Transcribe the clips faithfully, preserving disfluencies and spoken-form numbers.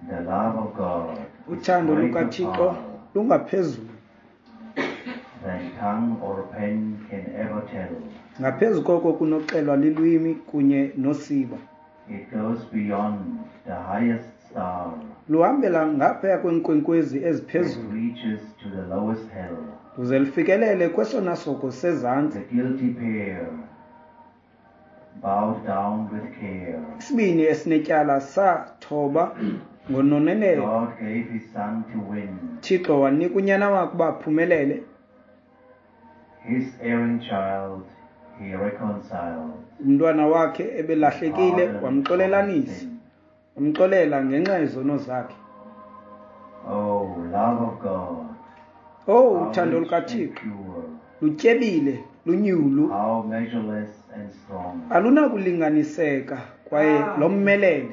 The love of God is Uthando greater lukaThixo power lungaphezulu than tongue or pen can ever tell. Ngaphezu koko kunoxelwa lilwimi kunye nosiba. It goes beyond the highest star. Luhambela ngaphaya kweenkwenkwezi It eziphezulu. reaches to the lowest hell. Luze lufikelele kwesona soko sezantsi. The guilty pair bowed down with care. Isibini esinetyala sathoba ngononelelo. God gave his son to win. Thixo wanika unyana wakhe uba aphumelele. His erring child he reconciled. Umntwana wakhe ebelahlekile Pardon for his wamxolelanisa. sin. Wamxolela ngenxa yezono zakhe. Oh, love of God, Oh, how uthando rich and lukaThixo pure, lutyebile, lunyulu, how measureless and strong. Alunakulinganiseka kwaye lomelele.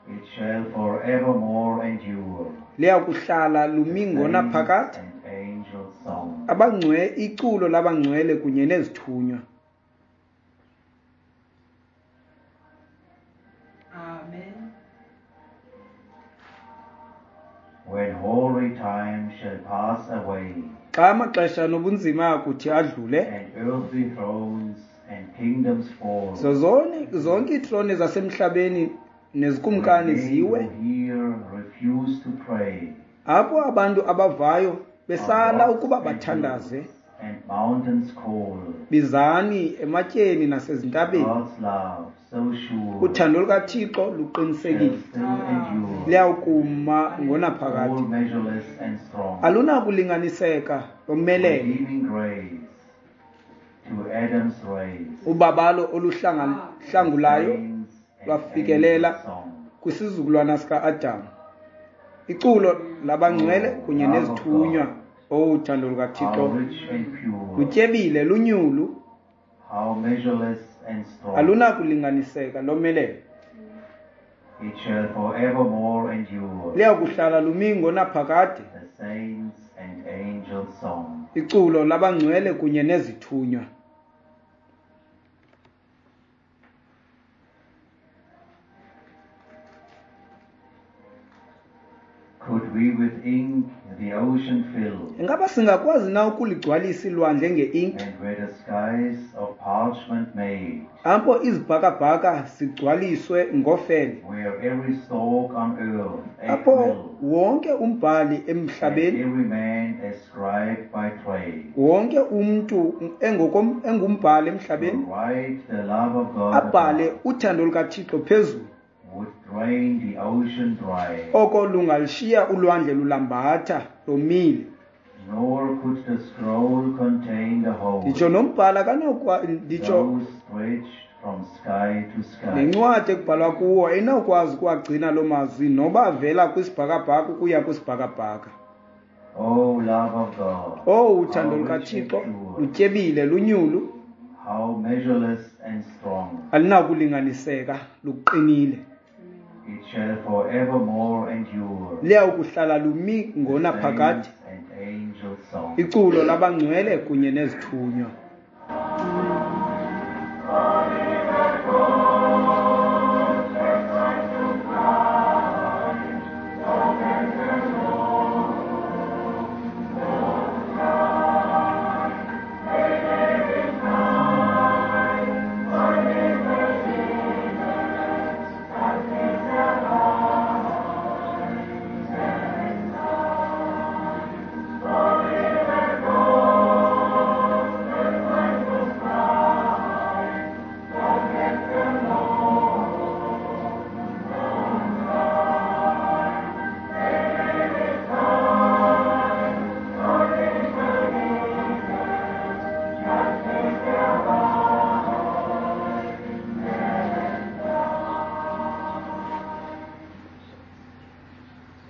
It shall forevermore endure. Liya kuhlala lumi The saints ngonaphakade. and angels' song. Abangcwe iculo labangcwele kunye nezithunywa. Amen. When hoary time shall pass away, Xa amaxesha nobunzima akuthi adlule, and earthly thrones and kingdoms fall, zozone zonke iitrone zasemhlabeni nezikumkani when they ziwe, who hear refuse to pray, apho abantu abavayo on besala rocks ukuba and bathandaze, hills and mountains call, bizani ematyeni nasezintabeni. God's love so sure Uthando lukaThixo shall luqinisekile, still endure, liyawukuma ngonaphakade. all measureless and strong. Alunakulinganiseka lomelele. Redeeming grace to Adam's race, Ubabalo oluhlangulayo saints and lwafikelela angels' song. kwisizukulwana sika-Adam. Iculo labangcwele kunye Love of nezithunywa. God. Oh, uthando How lukaThixo rich and pure, lutyebile, lunyulu, how measureless and strong. alunakulinganiseka lomelele. It shall forevermore endure, Liyakuhlala lumi ngonaphakade. the saints and angels' song. Iculo labangcwele kunye nezithunywa. Could we with ink the ocean fill, Ingaba singakwazi na ukuligcwalisa ilwandle ngeinki? and were the skies of parchment made, Apho izibhakabhaka zigcwaliswe ngofele. where every stalk on earth a Apho quill, wonke umbhali and emhlabeni, every man a scribe by trade, wonke umntu engokom-, engumbhali emhlabeni, will write the love of God abhale above, uthando lukaThixo phezulu. would drain the ocean dry, Oko lungalishiya ulwandle lulambatha lomile. nor could the scroll contain the whole, Nditsho nombhali akanokwa-, nditsho those stretched from sky to sky. nencwadi ekubhalwa kuwo ayinawukwazi ukuwagcina loo mazwi noba avela kwisibhakabhaka ukuya kwisibhakabhaka. Oh, love of God, Oh, uthando how rich lukaThixo and pure, lutyebile, lunyulu, how measureless and strong. Alinakulinganiseka, luqinile. It shall forevermore endure. Liyawukuhlala lumi The ngonaphakade. saints and angels' song. Iculo labangcwele kunye nezithunywa.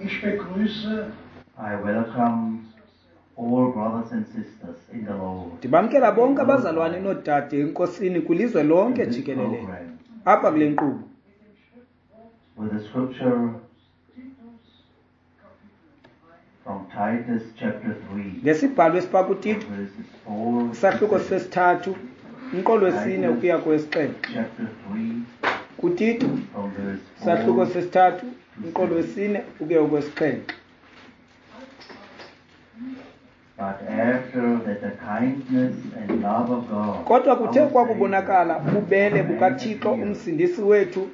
Ich begrüße I welcome all brothers and sisters in the Lord. Ndibamkela bonke abazalwane noodade eNkosini kwilizwe lonke In this jikelele. program, Apha kule nkqubo. with the scripture from Titus chapter three, Ngesibhalo esipha kuTito, verses four to isahluko seven. sesithathu, umqolo wesine ukuya kowesixhenxe. Chapter three, KuTito, from verse isahluko four sesithathu, to Umqolo wesine ukuya kwesixhenxe. But after that the kindness and love of God, Kodwa kuthe our kwakubonakala Savior, ububele bukaThixo appeared, umsindisi wethu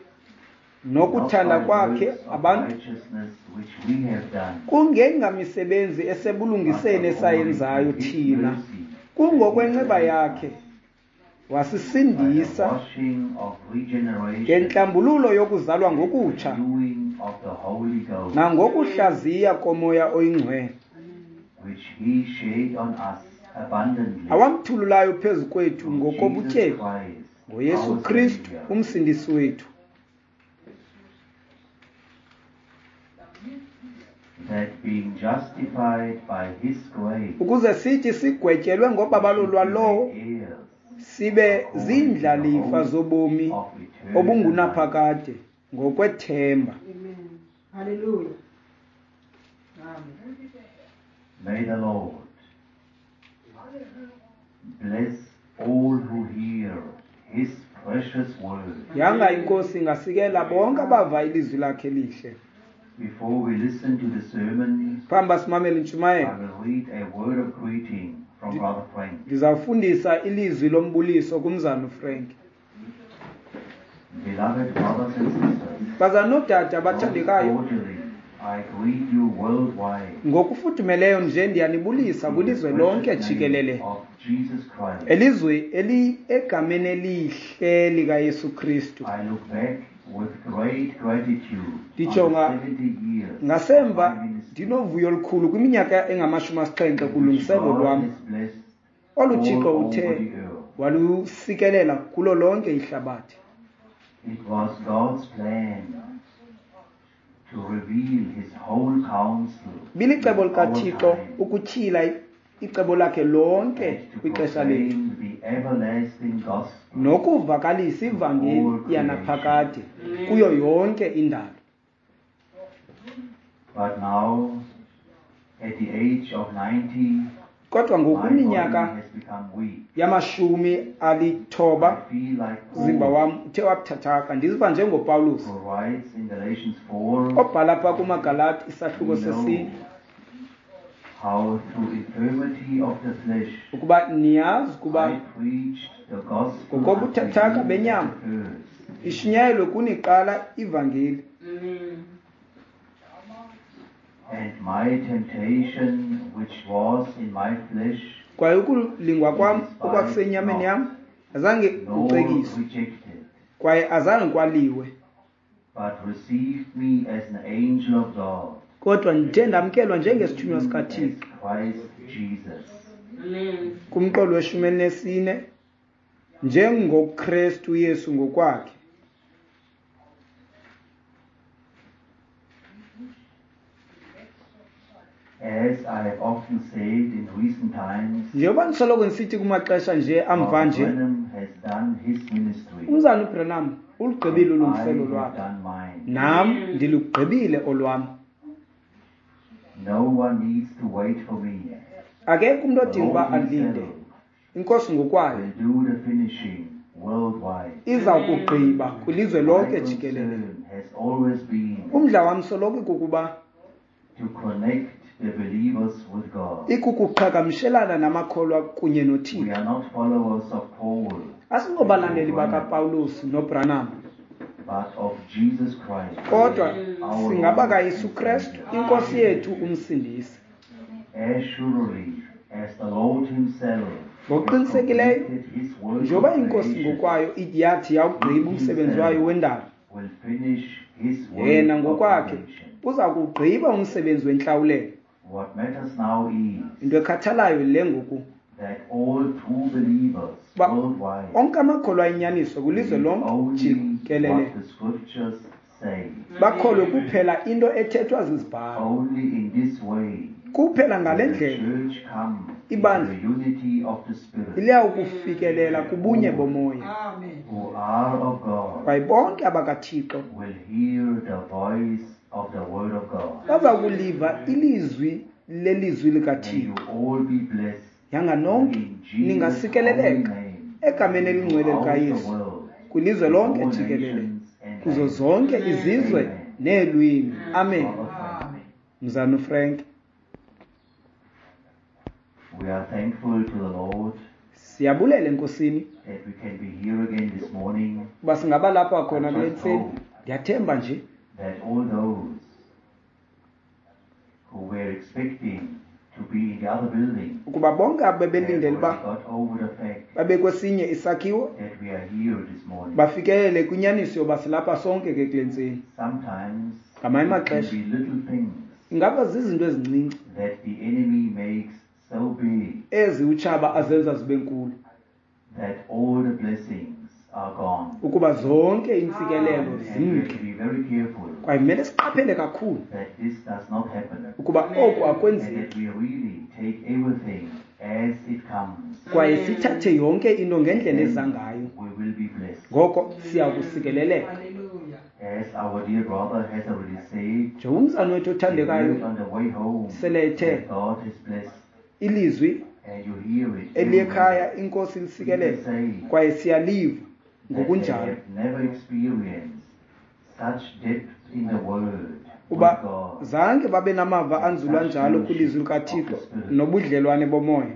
nokuthanda not by kwakhe works of abantu, righteousness which we have done, kungengamisebenzi but esebulungiseni according esayenzayo to his thina, mercy, kungokwenceba he yakhe saved us by the wasisindisa washing of regeneration ngentlambululo yokuzalwa and ngokutsha renewing of the Holy Ghost, nangokuhlaziya komoya oyingcwele, which he shed on us abundantly awamthululayo phezu kwethu through Jesus ngokobutyebi Christ, ngoYesu our Kristu Savior. umsindisi wethu, That being justified by his grace, ukuze sithi sigwetyelwe we ngobabalo should be lwalowo made heirs sibe according to the ziindlalifa hope zobomi of eternal life. obungunaphakade ngokwethemba. Amen. Hallelujah. Amen. May the Lord bless all who hear his precious word. Yanga inkosi ingasikela bonke abava ilizwi lakhe lihle. Before we listen to the sermon, Phambi basimamele I intshumayelo, will read a word of greeting from Brother Frank. ndizawufundisa ilizwi lombuliso kumzana uFrank. Beloved brothers and sisters, Bazana noodade most abathandekayo, cordially, I greet you worldwide ngokufudumeleyo nje ndiyanibulisa in the kwilizwe lonke precious name jikelele, of Jesus Christ. elizwe eli egameni elihle likaYesu Kristu. I look back with great gratitude on the Ndijonga seventy years of my ngasemva ministry, ndinovuyo olukhulu kwiminyaka engamashumi asixhenxe in which kulungiselelo God lwam has blessed olu all Thixo over uthe the earth. walusikelela kulo lonke ihlabathi. It was God's plan to reveal his whole counsel Bilicebo in our likaThixo time ukutyhila icebo lakhe lonke and to kwixesha lethu proclaim the everlasting gospel nokuvakalisa to ivangeli all creation. yanaphakade kuyo yonke indalo. But now, at the age of ninety, Kodwa my ngoku body kwiminyaka has become weak. yamashumi alithoba I feel like umzimba Paul, wam uthe wabuthathaka, ndiziva njengoPawulos who writes in Galatians four, obhala phaa kumaGalati isahluko we know sesine, how through infirmity of the flesh ukuba niyazi ukuba I preached the gospel unto ngokobuthathaka you at benyama the first. ishunyayelwe kuniqala ivangeli, Amen. And my temptation which was in my flesh kwaye ukulingwa kwam despised okwakusenyameni not, yam azange nor kucekiswe rejected, kwaye azange kwaliwe, but received me as an angel of God, kodwa ndithe ndamkelwa njengesithunywa even as sikaThixo. Christ Jesus. Amen. Kumqolo weshumi elinesine, njengoKrestu Yesu ngokwakhe. As I have often said in recent times, Njengoba ndisoloko ndisithi kumaxesha nje amva Brother nje, Branham has done his ministry, umzana uBranham ulugqibile and I ulungiselo have lwakhe, done mine. nam ndilugqibile olwam. No one needs to wait for me. Akekho umntu The odinga uba Lord alinde, himself inkosi ngokwayo will do the finishing worldwide. iza kugqiba kwilizwe My lonke jikelele. concern has always been Umdla wam soloko ikukuba to connect the believers with God. ikukuqhagamshelana namakholwa kunye We noThixo. are not followers of Paul, Asingobalandeli bakaPawulos noBranham, but of Jesus Christ, kodwa our Lord singabakaYesu and Krestu Savior. inkosi yethu umsindisi. As surely as the Lord himself has Ngokuqinisekileyo, completed his work njengoba of inkosi creation, ngokwayo yathi yawugqiba umsebenzi wayo wendalo, will finish his work yena of ngokwakhe redemption. uza kuwugqiba umsebenzi wentlawulelo. What matters now is Into ekhathalayo le ngoku that all true believers uba worldwide onke amakholwa ayinyaniso kwilizwe believe lonke only jikelele what the scriptures say. bakholwe kuphela into ethethwa zizibhalo. Only in this way Kuphela ngale will the ndlela church come into ibandla the unity of the Spirit, liyawukufikelela kubunye bomoya, Amen. who are of God kwaye bonke abakaThixo will hear the voice of the word of God. baza kuliva ilizwi lelizwi May you likaThixo. all be blessed Yanga nonke in Jesus' holy ningasikeleleka name egameni elingcwele throughout the likaYesu world, kwilizwe in lonke all jikelele, nations and kuzo languages. zonke izizwe Amen. Neelwimi. Amen. Brother Frank. Mzana uFrank. We are thankful to the Lord Siyabulela enkosini that we can be here again this morning, uba singaba lapha khona kule ntseni. Ndiyathemba nje that all those who were expecting to be in the other building ukuba bonke abo have bebelindele already uba got over the fact babe kwesinye isakhiwo that we are here this morning. bafikelele kwinyaniso yoba silapha sonke ke kule ntseni. Sometimes Ngamanye it can amaxesha be little things ingaba zizinto ezincinci that the enemy makes so big ezi utshaba azenza zibe nkulu that all the blessings are gone. ukuba zonke iintsikelelo And we have zimke. to be very careful Kwaye kumele siqaphele kakhulu that this does not happen, ukuba oku and akwenzeki that we really take everything as it comes. kwaye sithathe yonke into ngendlela eza Then ngayo. we will be blessed. Ngoko siya kusikeleleka. Hallelujah. As our dear brother has already said, Njengoba umzana wethu we heard othandekayo on the way home sele ethe that God has blessed, ilizwi and you hear it eliyekhaya inkosi lisikelele People say kwaye siyaliva that they ngokunjalo have never experienced such depth in the word with uba God. zange babe namava anzulu anjalo kwilizwi likaThixo nobudlelwane bomoya.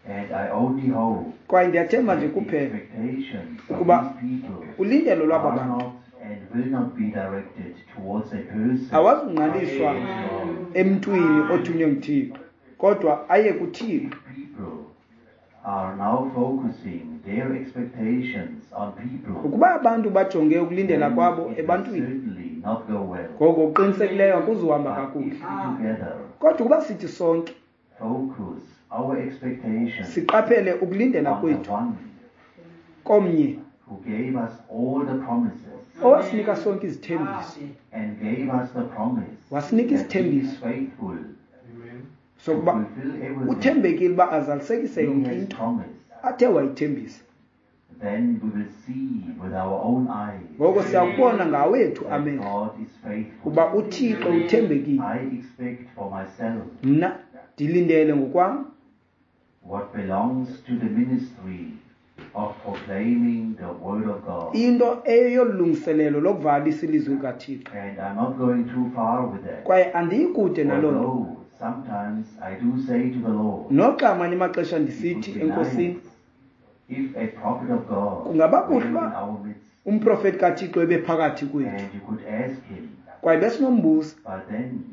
And I only hope Kwaye ndiyathemba nje that the kuphela expectations of ukuba these people ulindelo lwaba are bantu not and will not be directed towards a person. awazungqaliswa God. emntwini othunywe nguThixo, kodwa aye kuThixo. People are now focusing their expectations on people. Ukuba abantu bajonge ukulindela Then kwabo it will ebantwini, certainly not go well. ngoko kuqinisekileyo akuzuhamba But kakuhle. if we together Kodwa ukuba sithi sonke focus our expectations siqaphele ukulindela on the kwethu one komnye who gave us all the promises owasinika sonke izithembiso, and gave us the promise wasinika that he is isithembiso faithful to sokuba fulfill everything uthembekile uba azalisekise he yonke has into promised, athe wayithembisa. then we will see with our own eyes Ngoko siyakubona ngawethu that amehlo God is faithful. uba uThixo uthembekile. I expect for myself Mna ndilindele ngokwam what belongs to the ministry of proclaiming the word of God. into eyolungiselelo lokuvalisa ilizwi likaThixo. And I'm not going too far with that. Kwaye andiyikude naloo nto. Although sometimes I do say to the Lord, Noxa amanye amaxesha it ndisithi would be enkosini, nice if a prophet of God Kungaba were kuhle in uba our midst, umprofeti kaThixo ebephakathi kwethu and you could ask him, kwaye besinombuza. but then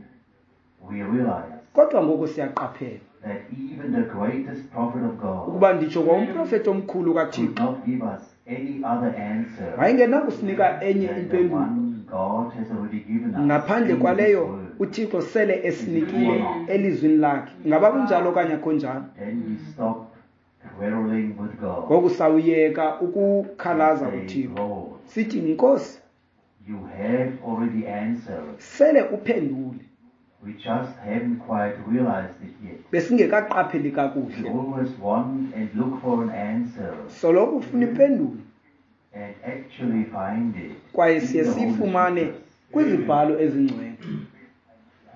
we realize Kodwa ngoku siyaqaphela that even the greatest prophet of God ukuba nditsho kwa umprofeti omkhulu could kaThixo not give us any other answer wayengenakusinika enye than the impendulo one God has already given us ngaphandle in His kwaleyo word. uThixo sele esinikile elizwini lakhe. Ingaba kunjalo okanye akho njalo? Then we stop quarreling with God. Ngoku sawuyeka ukukhalaza and say, kuThixo Lord, sithi, Nkosi, you have already answered. sele uphendule, We just haven't quite realized it yet. besingekaqapheli We kakuhle. always want and look for an answer Soloko ufuna impendulo and actually find it kwaye in siye the Holy siyifumane Scriptures. kwizibhalo ezingcwele.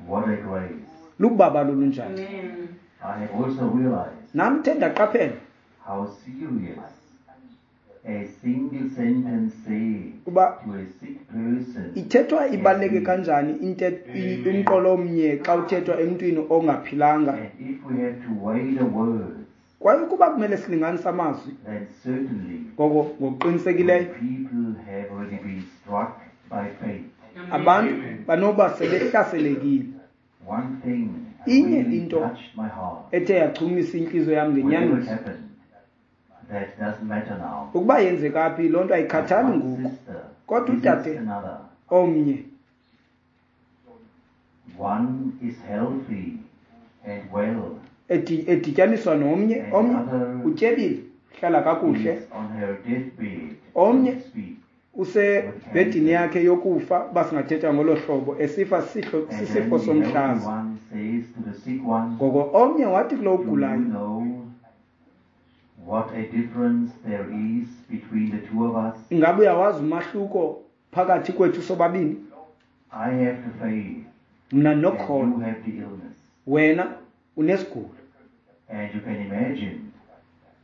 What a grace. Lubaba lolunjani. Amen. I have also realized Nam the ndaqaphela how serious a single sentence said uba to a sick person ithethwa ibaluleke kanjani inte- i- umqolo omnye xa uthethwa emntwini ongaphilanga. And if we have to weigh the words, Kwaye ukuba kumele silinganise amazwi, then certainly ngoko when ngokuqinisekileyo people have already been struck by fate. abantu banoba sebehlaselekile. One thing Inye really into touched my heart. ethe yachumisa intliziyo yam Whatever ngenyaniso, happened, that doesn't matter now. ukuba yenzeka phi loo nto ayikhathali One ngoku. sister Kodwa visits udade another. omnye One is healthy and well, edi- edityaniswa nomnye, and omnye the other utyebile, uhlala kakuhle, is on her deathbed, Omnye so to speak. usebhedini yakhe yokufa, uba singathetha ngolo hlobo, esifa sihlo- And then sisifo the healthy somhlaza. one says to the sick one, Ngoko omnye wathi kulo Do you ugulayo, know what a difference there is between the two of us? ingaba uyawazi umahluko phakathi kwethu sobabini? I have the faith, Mna and you ndinokholo, have the illness. wena unesigulo. And you can imagine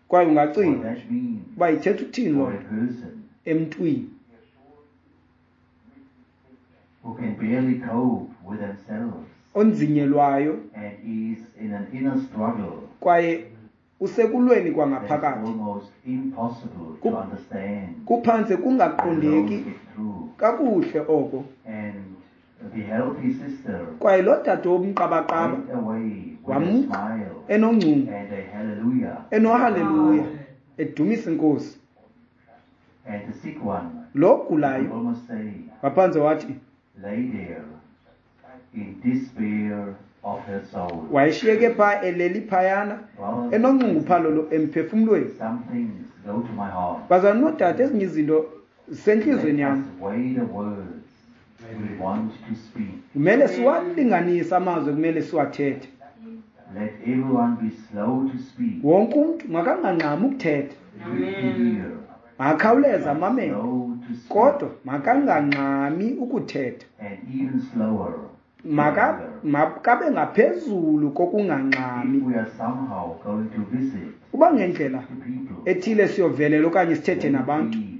Kwaye what ungacinga that means uba ithetha uthini loo for a nto person emntwini. who can barely cope with themselves onzinyelwayo and is in an inner struggle kwaye usekulweni that's kwangaphakathi almost impossible Ku- to understand. kuphantse let alone kungaqondeki get through. kakuhle oko. And the healthy sister Kwaye lo dade womqabaqaba went away with a wamka smile enoncumo and a hallelujah. enohaleluya edumisa inkosi. And the sick one, Lo you could gulayo almost say, waphantse wathi lay there in despair of her soul. wayeshiyeke phaa eleli phayana Brothers, enonxunguphalo lo emphefumlweni. some things go to my heart. Bazalwane noodade, ezinye izinto zisentliziyweni Let yam. us weigh the words we want to speak. Kumele siwalinganise amazwi ekumele siwathethe. Let everyone be slow to speak, Wonke umntu makangangxami ukuthetha, quick to hear, makakhawuleze amamele, slow to speak, kodwa makangangxami ukuthetha. and even slower to Maka anger. makabe ngaphezulu If kokungangxami. we are somehow going to visit Uba ngendlela the people, ethile siyovelela okanye sithethe let it nabantu, be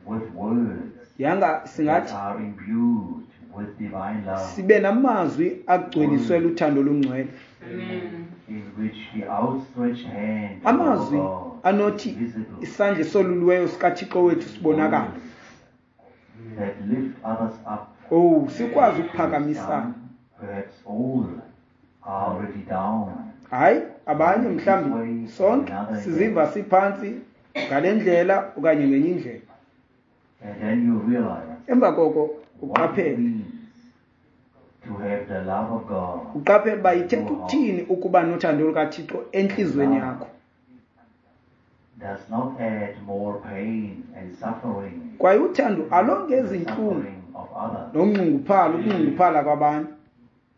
with words yanga that singathi are imbued with divine love, sibe namazwi agcweliswe luthando olungcwele, Amen. in which the outstretched hand of our amazwi God is anothi visible, isandla esoluliweyo sikaThixo wethu sibonakala. words that lift others up. Owu, sikwazi ukuphakamisana. Some, perhaps all, are already down. Hayi, abanye mhlawumbi sonke siziva siphantsi ngale ndlela okanye ngenye indlela. And then you realize Emva koko what it uqaphele, means to have the love of God uqaphele uba ithetha ukuthini ukuba nothando lukaThixo entliziyweni yakho. Does not add more pain and suffering Kwaye uthando to the alongezi intlungu suffering of others, nonxunguphala, ukunxunguphala kwabanye,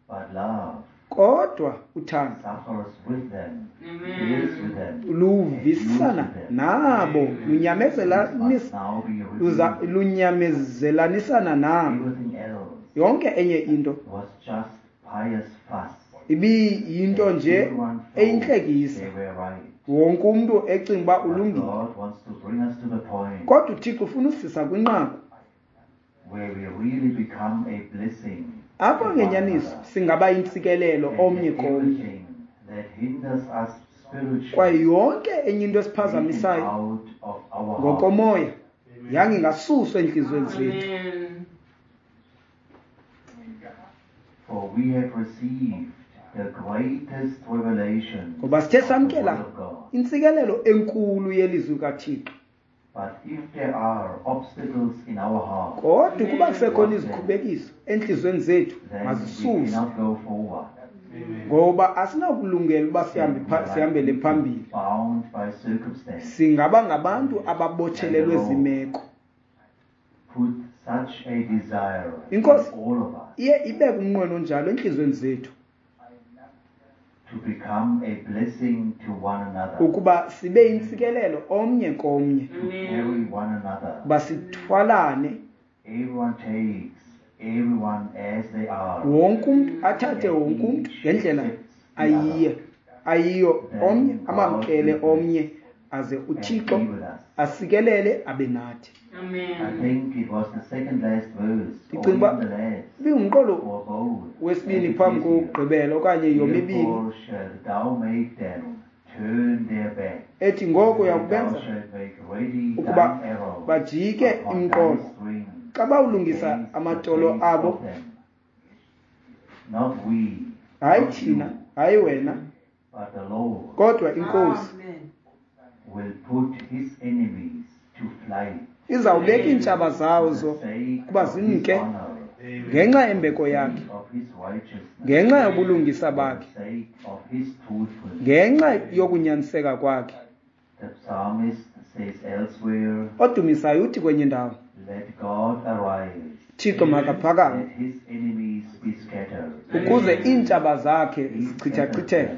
but love kodwa uthando suffers with them, bears with them, luvisana endures with them. nabo, This must lunyamezelanis- now be luza- revealed. lunyamezelanisana nabo. Everything else Yonke enye into was just pious fuss. ibiyinto And nje everyone thought eyintlekisa, they were right. wonke umntu ecinga uba But ulungile. God wants to bring us to the point Kodwa uThixo ufuna usisa kwinqaku where we really become a blessing apho to one ngenyaniso another. singaba yintsikelelo And omnye that komnye, everything that hinders us spiritually kwaye yonke enye into taken esiphazamisayo out of our heart. ngokomoya yange ingasuswa entliziyweni zethu. Amen. For we have received the greatest revelation Ngoba sithe of the samkela Word of God. intsikelelo enkulu yelizwi kaThixo. But if there are obstacles in our heart, Kodwa ukuba kusekhona izikhubekiso entliziyweni zethu, then we mazisuswe, cannot go forward. ngoba asinawukulungela uba sihambe Then we pha- are like sihambele people phambili. bound by circumstance. Singaba ngabantu ababotshelelwe zimeko. Put such a desire in Inkosi all of us iye ibeke umnqweno onjalo entliziyweni zethu to become a blessing to one another, ukuba sibe yintsikelelo omnye komnye, to carry one another. uba sithwalane, Everyone takes everyone as they are. wonke umntu athathe and wonke umntu each ngendlela accepts the ayiye other ayiyo, Then omnye God amamkele will bless omnye, aze and uThixo be with us. asikelele abe nathi. I Amen. think it was the second last verse, or Ndicinga uba even the last, ibingumqolo or both. wesibini As it phambi says here, kokugqibela okanye yomibini Therefore shalt thou make them turn their back, ethi ngoko and thou uyakubenza shalt make ready ukuba thine arrow bajike upon thy imqolo string xa bawulungisa against the amatolo face abo. of them. Not we, Hayi not thina, you, hayi wena, but the Lord kodwa inkosi Amen. will put his enemies to flight izawubeka iintshaba for zazo the sake ukuba of his zimke honor, ngenxa for yembeko the yakhe, sake of his righteousness, ngenxa yobulungisa for the bakhe, sake of his truthfulness. ngenxa yokunyaniseka kwakhe. The psalmist says elsewhere, Odumisayo uthi kwenye indawo, Let God arise, Thixo makaphakame let his enemies be scattered. ukuze iintshaba zakhe He scatters zichithachitheke. them.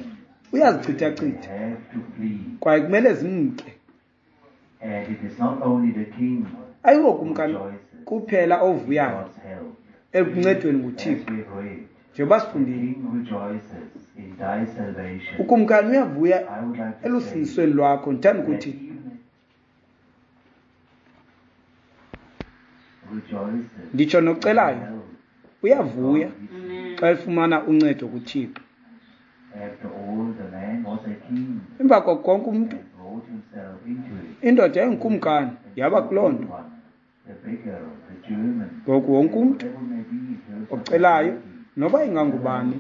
They Uyazichithachitha have to flee. kwaye kumele zimke. And it is not only the king who Ayingokumkani rejoices kuphela in ovuyayo God's help. ekuncedweni As nguThixo. we have read, Njengoba the sifundile, king rejoices in thy salvation. ukumkani uyavuya I would like to say elusindisweni lwakho. Ndithanda that ukuthi even rejoiceth Nditsho nocelayo in help uyavuya God gives him. xa efumana uncedo kuThixo. After all, the man was a king Emva koko konke umntu, and brought himself into it. indoda yayingukumkani yaba kuloo nto. Everyone, the beggar, the German, Ngoku wonke umntu whatever may be in terms of ocelayo ability, noba ingangubani,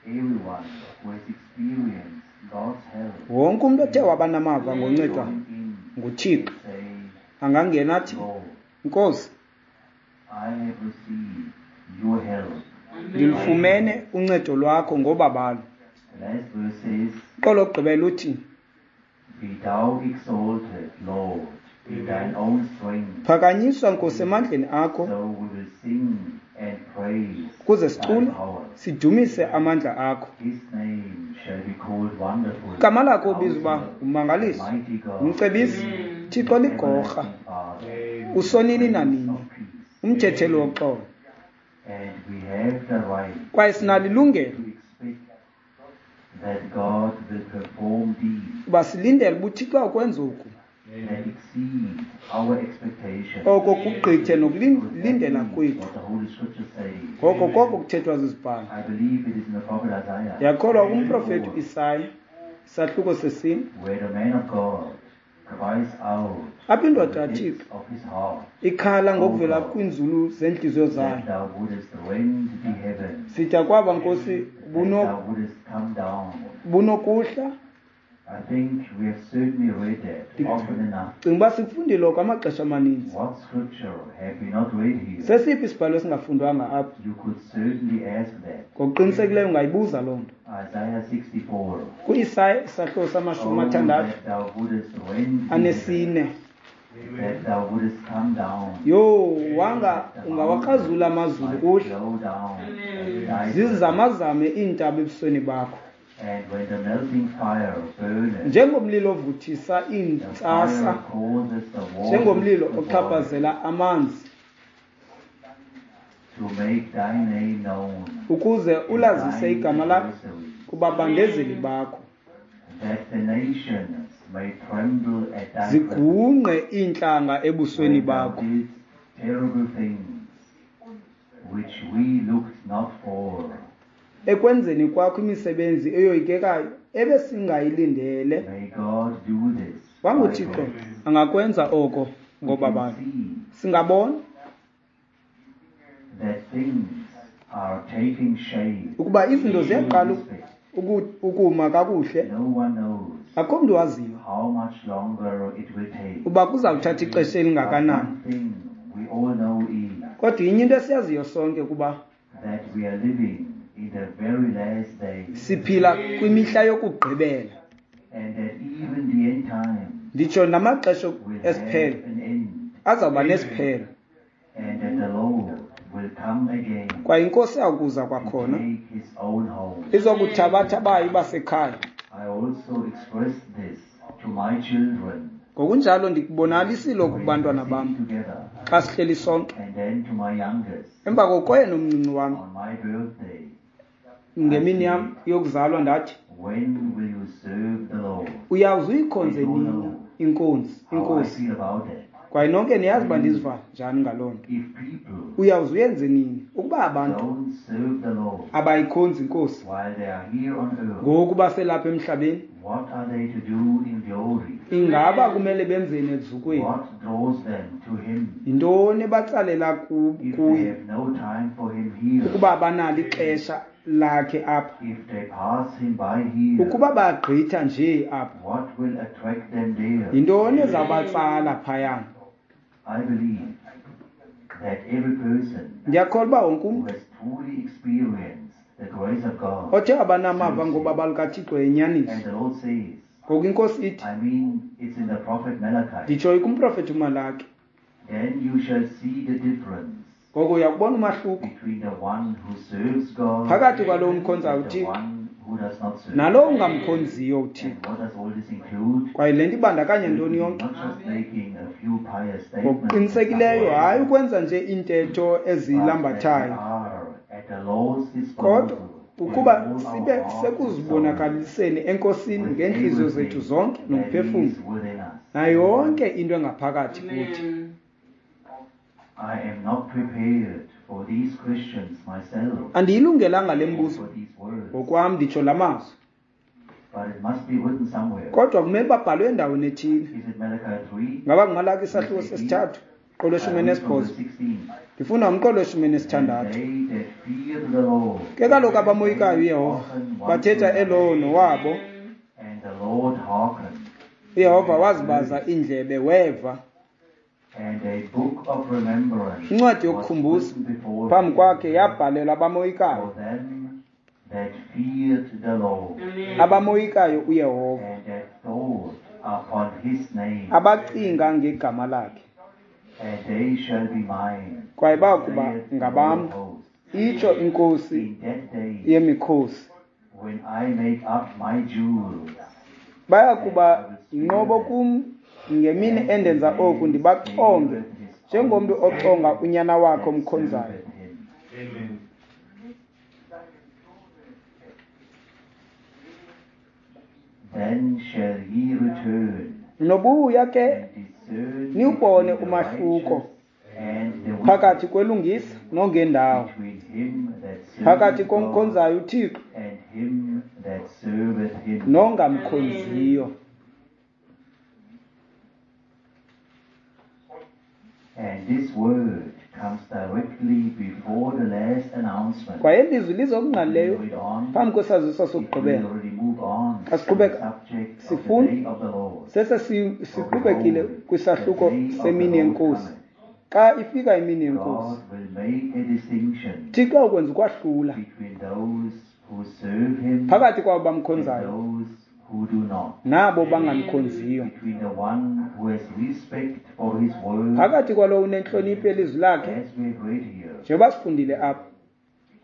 everyone who has experienced God's help wonke umntu othe waba namava ngoncedwa join in nguThixo and say, angangena athi, Lord, Nkosi, I have received your help. ndilufumene uncedo lwakho ngobabalo. The last verse says, Uqolo lokugqibela uthi, Be thou exalted, Lord, in thine own strength. phakanyiswa Nkosi emandleni akho, So we will sing and praise ukuze thy sicule power. sidumise amandla akho. His name shall be called Wonderful, Igama lakho ubizwa uba Counselor, ummangaliso, Mighty God, umcebisi, Thixo ligorha, Everlasting Father, usonini Prince nanini, of Peace. umthetheli woxolo. And we have the right Kwaye sinalo ilungelo to expect that God will perform deeds uba silindele uba uThixo akwenza oku, that exceed our expectations. oko kugqithe Because that nokulindela is kwethu. what the Holy Scripture says. Ngoko koko kuthethwa zizibhalo. I believe it is in the prophet Isaiah, Ndiyakholwa kumprofethi uIsaya, isahluko sesine, where the man of God cries out apho from indoda the depths kaThixo of his heart ikhala ngokuvela kwiinzulu zeentliziyo zayo. that thou wouldest rend the heavens, Sithi akwaba Nkosi that buno thou wouldest come down. bunokuhla. I think we have certainly read that often enough. Cinga uba sikufundile oko amaxesha amaninzi. What scripture have we not read here? Sesiphi isibhalo esingafundwanga apha? You could certainly ask that. Ngokuqinisekileyo ungayibuza loo nto. Isaiah sixty-four. KuIsaya isahluko samashumi Oh, amathandathu that thou wouldest rend the anesine. heavens, that thou wouldest come down, Yho, wanga ungawakrazula amazulu might kuhle, flow down and thy zizamazame iintaba ebusweni bakho. And when the melting fire burneth, Njengomlilo ovuthisa the fire iintsasa, causes the waters njengomlilo to boil, ochaphazela amanzi, to make thy name known ukuze to ulazise thine igama lakho adversaries, kubabandezeli bakho. that the nations may tremble at thy presence. Zigungqe iintlanga ebusweni When thou bakho. didst terrible things which we looked not for. Ekwenzeni kwakho imisebenzi eyoyikekayo ebesingayilindele. May God do this by WanguThixo grace. angakwenza oko We can ngobabalo. see Singabona that things are taking shape. ukuba izinto ziyaqala In respect. uku- ukuma kakuhle. No one knows Akho mntu waziyo how much longer it will take. uba kuzawuthatha ixesha But elingakanani. one thing we all know is Kodwa inye into esiyaziyo sonke kuba that we are living in the very last days, siphila kwimihla yokugqibela. and that even the end time Nditsho namaxesha will have esiphelo an end, azawuba nesiphelo. and that the Lord will come again Kwaye iNkosi yakuza to kwakhona take his own home. izokuthabatha bayo basekhaya. I also expressed this to my children Ngokunjalo ndikubonakalisile oku when we kubantwana sit bam together, xa sihleli sonke. and then to my youngest Emva kokoyena omncinci wam on my birthday. ngemini yam yokuzalwa ndathi, When will you serve the Lord? uyawuze uyikhonze nini inkonzi How I inkosi? feel about that. Kwaye nonke niyazi uba ndiziva njani ngaloo nto. If people Uyawuze uyenze nini ukuba abantu don't serve the Lord abayikhonzi inkosi while they are here on earth, ngoku baselapha emhlabeni? what are they to do in glory? Ingaba kumele benzeni ezukweni? What draws them to Him? Yintoni ebatsalela ku- If they kuye have no time for Him here, ukuba abanalo ixesha lakhe apha? if they pass Him by here, Ukuba bagqitha nje apha, what will attract them there? yintoni ezabatsala phayana? I believe that every person Ndiyakholwa uba wonke who umntu has truly experienced the grace of God, othe abanamava ngobabalo kaThixo and yenyaniso. the Lord says, Ngoku iNkosi ithi, I mean, it's in the prophet Malachi, nditsho kumprofethi uMalaki, then you shall see the difference ngoko uyakubona umahluko between the one who serves God phakathi kwalowo umkhonzayo and the uThixo one who does not serve. nalowo ungamkhonziyo And uThixo. what does all this include? Kwaye le nto ibandakanya ntoni yonke? Not just making a few pious statements, Ngokuqinisekileyo hayi ukwenza nje iintetho but that we ezilambathayo, are at the Lord's kodwa disposal with ukuba all our sibe heart and soul, sekuzibonakaliseni eNkosini with ngeentliziyo zethu everything zonke that nomphefumlo is within us. nayo yonke into engaphakathi kuthi. Amen. I am not prepared for these questions myself, Andiyilungelanga le or mbuzo for these words, ngokwam, nditsho la mazwi, but it must be written somewhere. kodwa kumele babhalwe endaweni ethile. Is it Malachi three? Ngaba nguMalaki isahluko sesithathu umqolo I weshumi read from nesibhozo? verse sixteen. Ndifunda umqolo weshumi And nesithandathu. they that fear the Lord Ke kaloku abamoyikayo uYehova hearken one bathetha to elowo another, nowabo. and the Lord hearkened, uYehova wazibaza iindlebe weva. and a book of remembrance Incwadi was yokukhumbuza written before phambi him kwakhe yabhalelwa abamoyikayo, for them that feared the Lord, Amen. abamoyikayo uYehova, and that thought upon his name, abacinga ngegama lakhe. and they shall be mine, Kwaye bayakuba saith the ngabam, Lord of hosts. itsho iNkosi In that day, yemikhosi. when I make up my jewels, Bayakuba yinqobo kum ngemini and endenza a oku, man ndibachonge slaveth his njengomntu own ochonga son unyana wakhe that omkhonzayo. serveth him. Amen. Then shall ye return Nobuya ke and discern niwubone between the umahluko righteous and the wicked, phakathi kwelungisa nongendawo, between him that phakathi serveth God komkhonzayo uThixo and him that serveth him. nongamkhonziyo. And this word comes directly before the last announcement. Kwaye ilizwi liza We okungqalileyo read on, phambi kwesaziso if we sokugqibela. already move on Xa to the siqhubeka subject of the sifunda, day of the Lord. sese si- For siqhubekile behold, the kwisahluko day of the semini Lord yenkosi. cometh. Xa ifika imini yenkosi, God will make a distinction Thixo awukwenza ukwahlula between those who serve him phakathi kwabo and bamkhonzayo those who do not, nabo bangamkhonziyo, between the one who has respect for his word, phakathi kwalowo unentlonipho yelizwi lakhe, as we have read here, njengoba sifundile apha.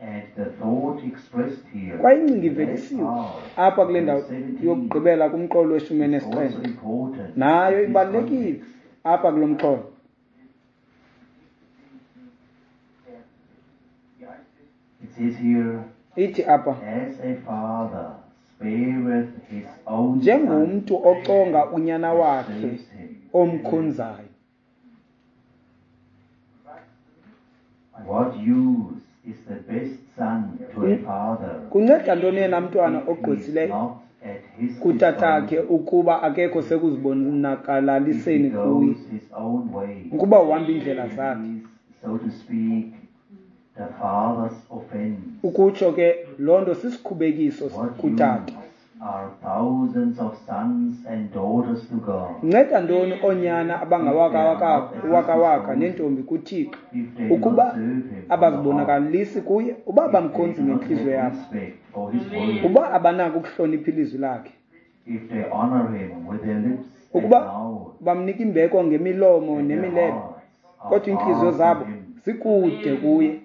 and the thought expressed here Kwaye ingcinga in the last ivelisiwe part apha of kule ndawo verse seventeen yokugqibela kumqolo weshumi is enesixhenxe, also important nayo in this ibalulekile context. apha kulo mxholo. It says here, Ithi apha, as a father spareth his own son njengomntu oconga unyana that wakhe serves him. omkhonzayo. What use is the best son to a father Kunceda ntoni yena mntwana if he is ogqwesileyo not at his kutatakhe disposal, ukuba akekho if he sekuzibonakalaliseni kuye, goes his own way, ukuba uhamba iindlela and zakhe? is, so to speak, the father's offense? Ukutsho ke loo nto sisikhubekiso What kutata. use are thousands of sons and daughters to God Nceda ntoni oonyana if they are not abangawakawaka at his wakawaka disposal, neentombi kuThixo if they do not ukuba serve him from the heart, abazibonakalisi kuye, uba if they abamkhonzi do not ngentliziyo have yabo, respect for his word, uba abanako ukuhlonipha ilizwi lakhe, if they honor him with their lips and ukuba mouth, bamnika imbeko ngemilomo and their nemilebe, hearts are kodwa iintliziyo far from zabo him? zikude kuye.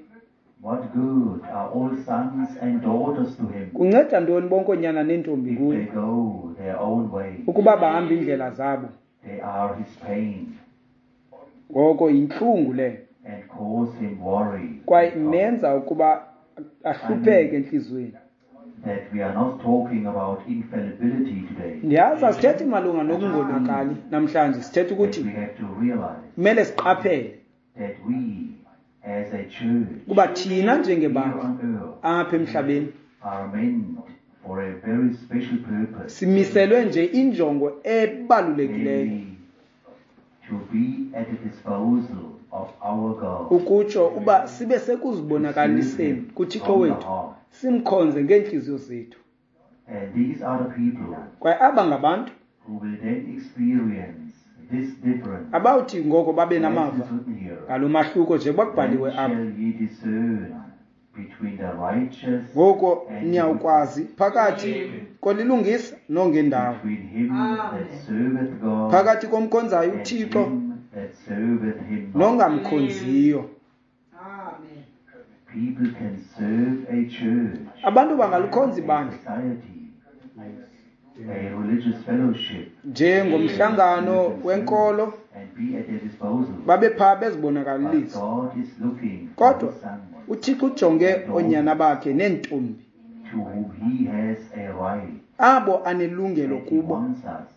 What good are all sons and daughters to him Kunceda ntoni bonke oonyana neentombi if kuye they go their own way? ukuba bahamba iindlela zabo? They are his pain Ngoko yintlungu leyo, and cause him worry kwaye and trouble. imenza ukuba I ahlupheke mean entliziyweni. that we are not talking about infallibility today. Ndiyazi asithethi malunga I just nokungonakali mean namhlanje, sithetha that ukuthi we have to realize kumele siqaphele that we as a church kuba thina here njengebandla on earth apha emhlabeni are meant for a very special purpose, simiselwe nje injongo ebalulekileyo, namely to be at the disposal of our God, ukutsho uba sibe to serve sekuzibonakaliseni him kuThixo from the wethu, heart. simkhonze ngeentliziyo zethu. And these are the people Kwaye aba ngabantu who will then experience this difference, abawuthi ngoko babe as namava is written here. ngalo mahluko njengoba Then kubhaliwe apha. shall ye discern between the righteous Ngoko and the wicked, niyawukwazi phakathi kolilungisa nongendawo, between him that Amen. serveth God phakathi komkhonzayo and uThixo him that serveth him not. nongamkhonziyo. Amen. People can serve a church, Abantu bangalukhonza a ibandla society, a religious fellowship, njengomhlangano serve themselves wenkolo, and be at their disposal. babe phaa But bezibonakalisa. God is looking for Kodwa his sons uThixo ujonge and oonyana daughters bakhe neentombi, to whom he has a right, abo anelungelo and he kubo, wants us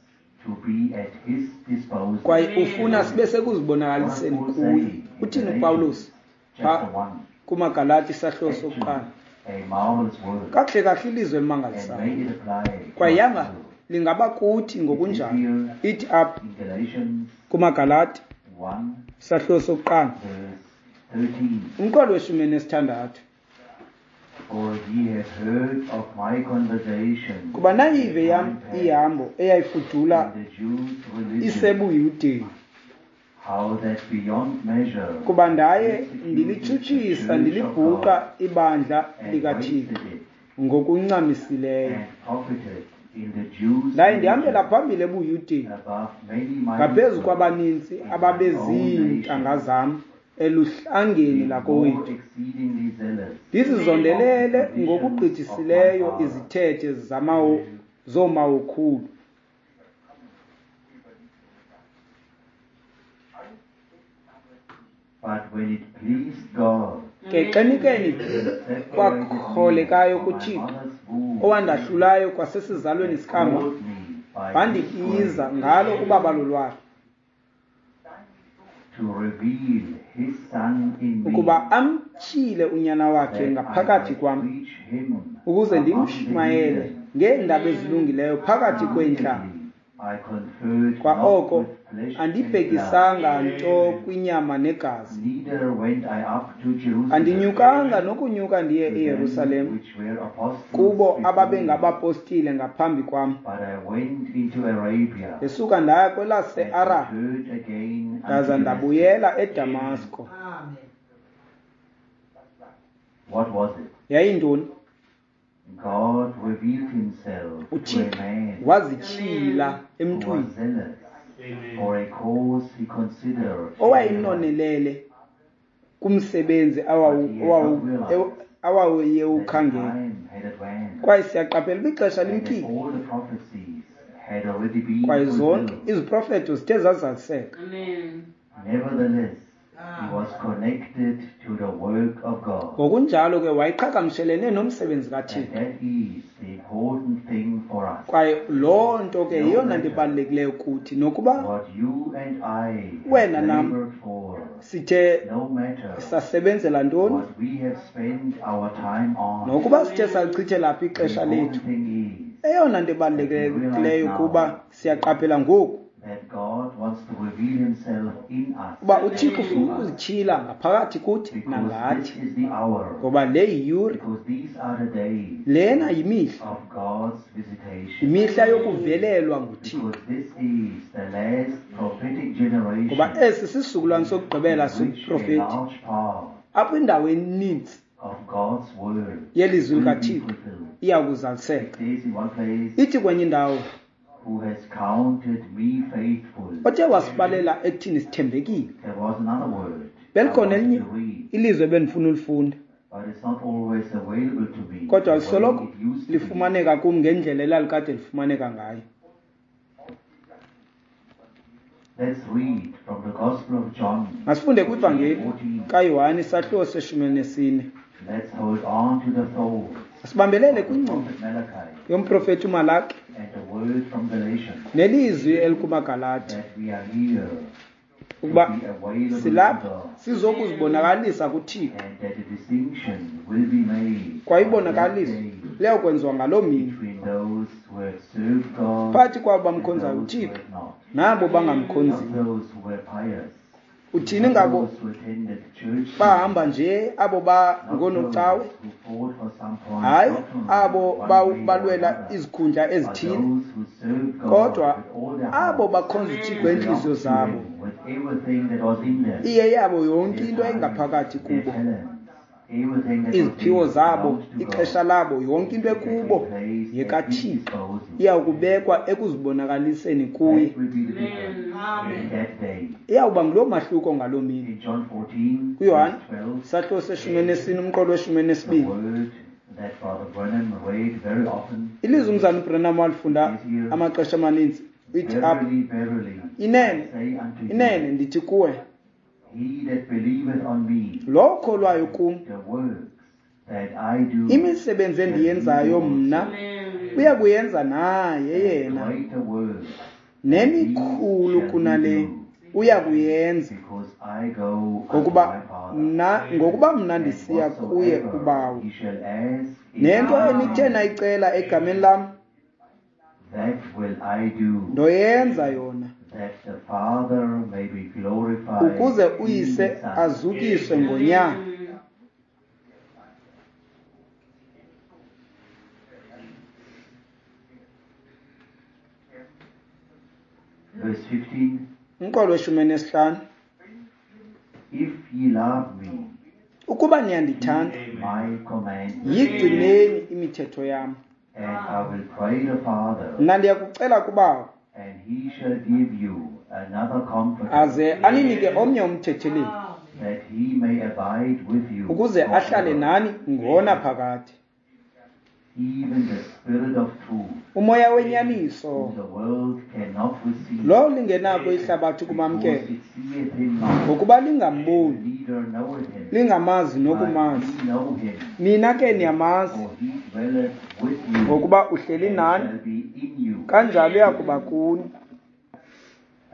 to be at his disposal. kwaye ufuna sibe What sekuzibonakaliseni does Paul kuye. say in Uthini Galatians uPawulos chapter pha one? kumaGalati isahluko Actually, sokuqala? a marvelous word, Kakuhle kahle ilizwi and elimangalisayo. may it apply to Kwaye us yanga too. lingaba kuthi ngokunjalo. Ithi apha In Galatians kumaGalati one, isahluko sokuqala verse thirteen. umqolo weshumi nesithandathu. For ye have heard of my conversation Kuba nayive yam in time past ihambo eyayifudula in the Jews' religion, isebuyudeni. how that beyond measure Kuba ndaye I persecuted the ndilitshutshisa church of ndilibhuqa God ibandla and likaThixo wasted it ngokuncamisileyo. and profited in the Jews' Ndaye ndihambela religion phambili ebuyudeni above many my ngaphezu equals kwabaninzi in my own ababeziintanga nation, zam eluhlangeni being more lakowethu. exceedingly zealous of the Ndizizondelele traditions of my ngokugqithisileyo fathers. izithethe zamawo zoomawokhulu. But when it pleased God, Ke xenikeni who separated me kwakholekayo from my kuThixo mother's womb owandahlulayo kwasesizalweni and sikama called me by his wandibiza grace ngalo ubabalo lwakhe to reveal his Son in me, ukuba amtyhile unyana wakhe that I ngaphakathi might kwam preach him ukuze among the ndimshumayele heathen. ngeendaba ezilungileyo phakathi kweentlanga. Immediately I conferred Kwa not oko with flesh and blood, andibhekisanga nto kwinyama negazi, neither went I up to Jerusalem andinyukanga nokunyuka ndiye to them eYerusalem which were apostles kubo before me, ababengabapostile ngaphambi kwam. but I went into Arabia Ndesuka ndaya and kwelase-Arabhi returned again unto ndaza Damascus. ndabuyela eDamasko. Amen. What was it? Yayintoni? God revealed himself to a uThixo man wazityhila who was emntwini zealous for a cause he considered right, owayinonelele kumsebenzi awawu- but he had awawu- not realized that the awayewukhangela. time had advanced Kwaye siyaqaphela uba ixesha and that limkile all the prophecies had already been kwaye zonke fulfilled. iziprofeto zithe zazaliseka. Amen. Nevertheless, he was connected to the work of God. Ngokunjalo ke wayeqhagamshelene nomsebenzi And kaThixo. that is the important thing for us. Kwaye loo nto ke No yeyona nto matter ibalulekileyo kuthi nokuba what you and I have wena nam labored for, sithe no matter sasebenzela ntoni, what we have spent our time on, nokuba sithe salichithela phi the ixesha important lethu, thing is eyona nto that we realize ibalulekileyo now kuba siyaqaphela ngoku that God wants to reveal himself in us uba and uThixo through ufuna us. ukuzityhila ngaphakathi kuthi Because nangathi, this is the hour, ngoba le yiyure, because these are the days lena yimihla, of God's visitation. yimihla yokuvelelwa nguThixo, Because this is the last prophetic ngoba generation esi sisizukulwane sokugqibela in which a sobuprofeti large part apho indawo eninzi of God's word yelizwi will be likaThixo fulfilled. iya It kuzaliseka. says in one place, Ithi kwenye indawo, who has counted me faithful. othe wasibalela ekuthini sithembekile. There was another word I Belikhona wanted elinye to read, ilizwe ebendifuna ulifunda, but it's not always available to me kodwa the way lisoloko it used to be. lifumaneka kum ngendlela elalikade lifumaneka ngayo. Let's read from the Gospel of John, Masifunde chapter kwivangeli fourteen. kaYohane isahluko seshumi elinesine. Let's hold on to the thoughts Asibambelele of the kwingcinga prophet Malachi yomprofeti uMalaki and the word from Galatians nelizwi elikumaGalati that we are here to ukuba be available to silapha God sizokuzibonakalisa kuThixo, and that a distinction will be made on that kwayibonakaliso day liyakwenziwa ngaloo mini between those who have served God phakathi kwabo and bamkhonzayo those who uThixo have not. nabo Not bangamkhonziyo. those who were pious, Uthini not ngabo those who attended church bahamba service, nje abo not those bangoonocawe? who fought for some point Hayi doctrinally abo one baw- way or balwela another, izikhundla but ezithile, those who served God kodwa with all their abo hearts, bakhonza who uThixo belonged ngeenhliziyo to zabo, Him with everything that was in them, iye yabo yonke their into time, engaphakathi their kubo, talents, everything that was iziphiwo in them zabo, belonged to ixesha God, labo, yonke into it will ekubo take place at His yekaThixo disposal. iya kubekwa ekuzibonakaliseni kuye. That will be the difference in Amen. that day. Iyawuba nguloo mahluko ngaloo mini. In John fourteen, KuYohane verse twelve, isahluko seshumi elinesine umqolo weshumi the elinesibini, word that Brother Branham read very often ilizwi umzana uBranham walifunda is here, amaxesha amaninzi, ithi apha, Verily, verily, I inene say unto inene you, ndithi kuwe, he that believeth on me, lowo ukholwayo kum, the works that I do, imisebenzi shall he endiyenzayo do mna also, Amen. uya kuyenza naye and yena, greater works than these nemikhulu shall he kunale do, uya kuyenza, because I go unto ngokuba my Father. mna ngokuba mna And ndisiya kuye whatsoever uBawo. ye shall ask in Nento my enithe name, nayicela egameni lam, that will I do, ndoyenza yona, that the Father may be glorified ukuze in uYise the Son. azukiswe ngoNyana. Verse fifteen, Umqolo weshumi nesihlanu. If ye love me, Ukuba niyandithanda, keep my commandments, yigcineni imithetho yam. and I will pray the Father, Mna ndiyakucela kuBawo, and he shall give you another comforter, aze aninike omnye umthetheleli, that he may abide with you ukuze ahlale forever, nani ngonaphakade. even the Spirit of truth, Umoya wenyaniso, whom the world cannot receive, lo lingenako ihlabathi because kumamkela, it seeth him not, ngokuba lingamboni, neither knoweth him. lingamazi But nokumazi. ye know him, Nina ke niyamazi, for he dwelleth with you, ngokuba uhleli and nani, shall be in you. kanjalo uya kuba kuni.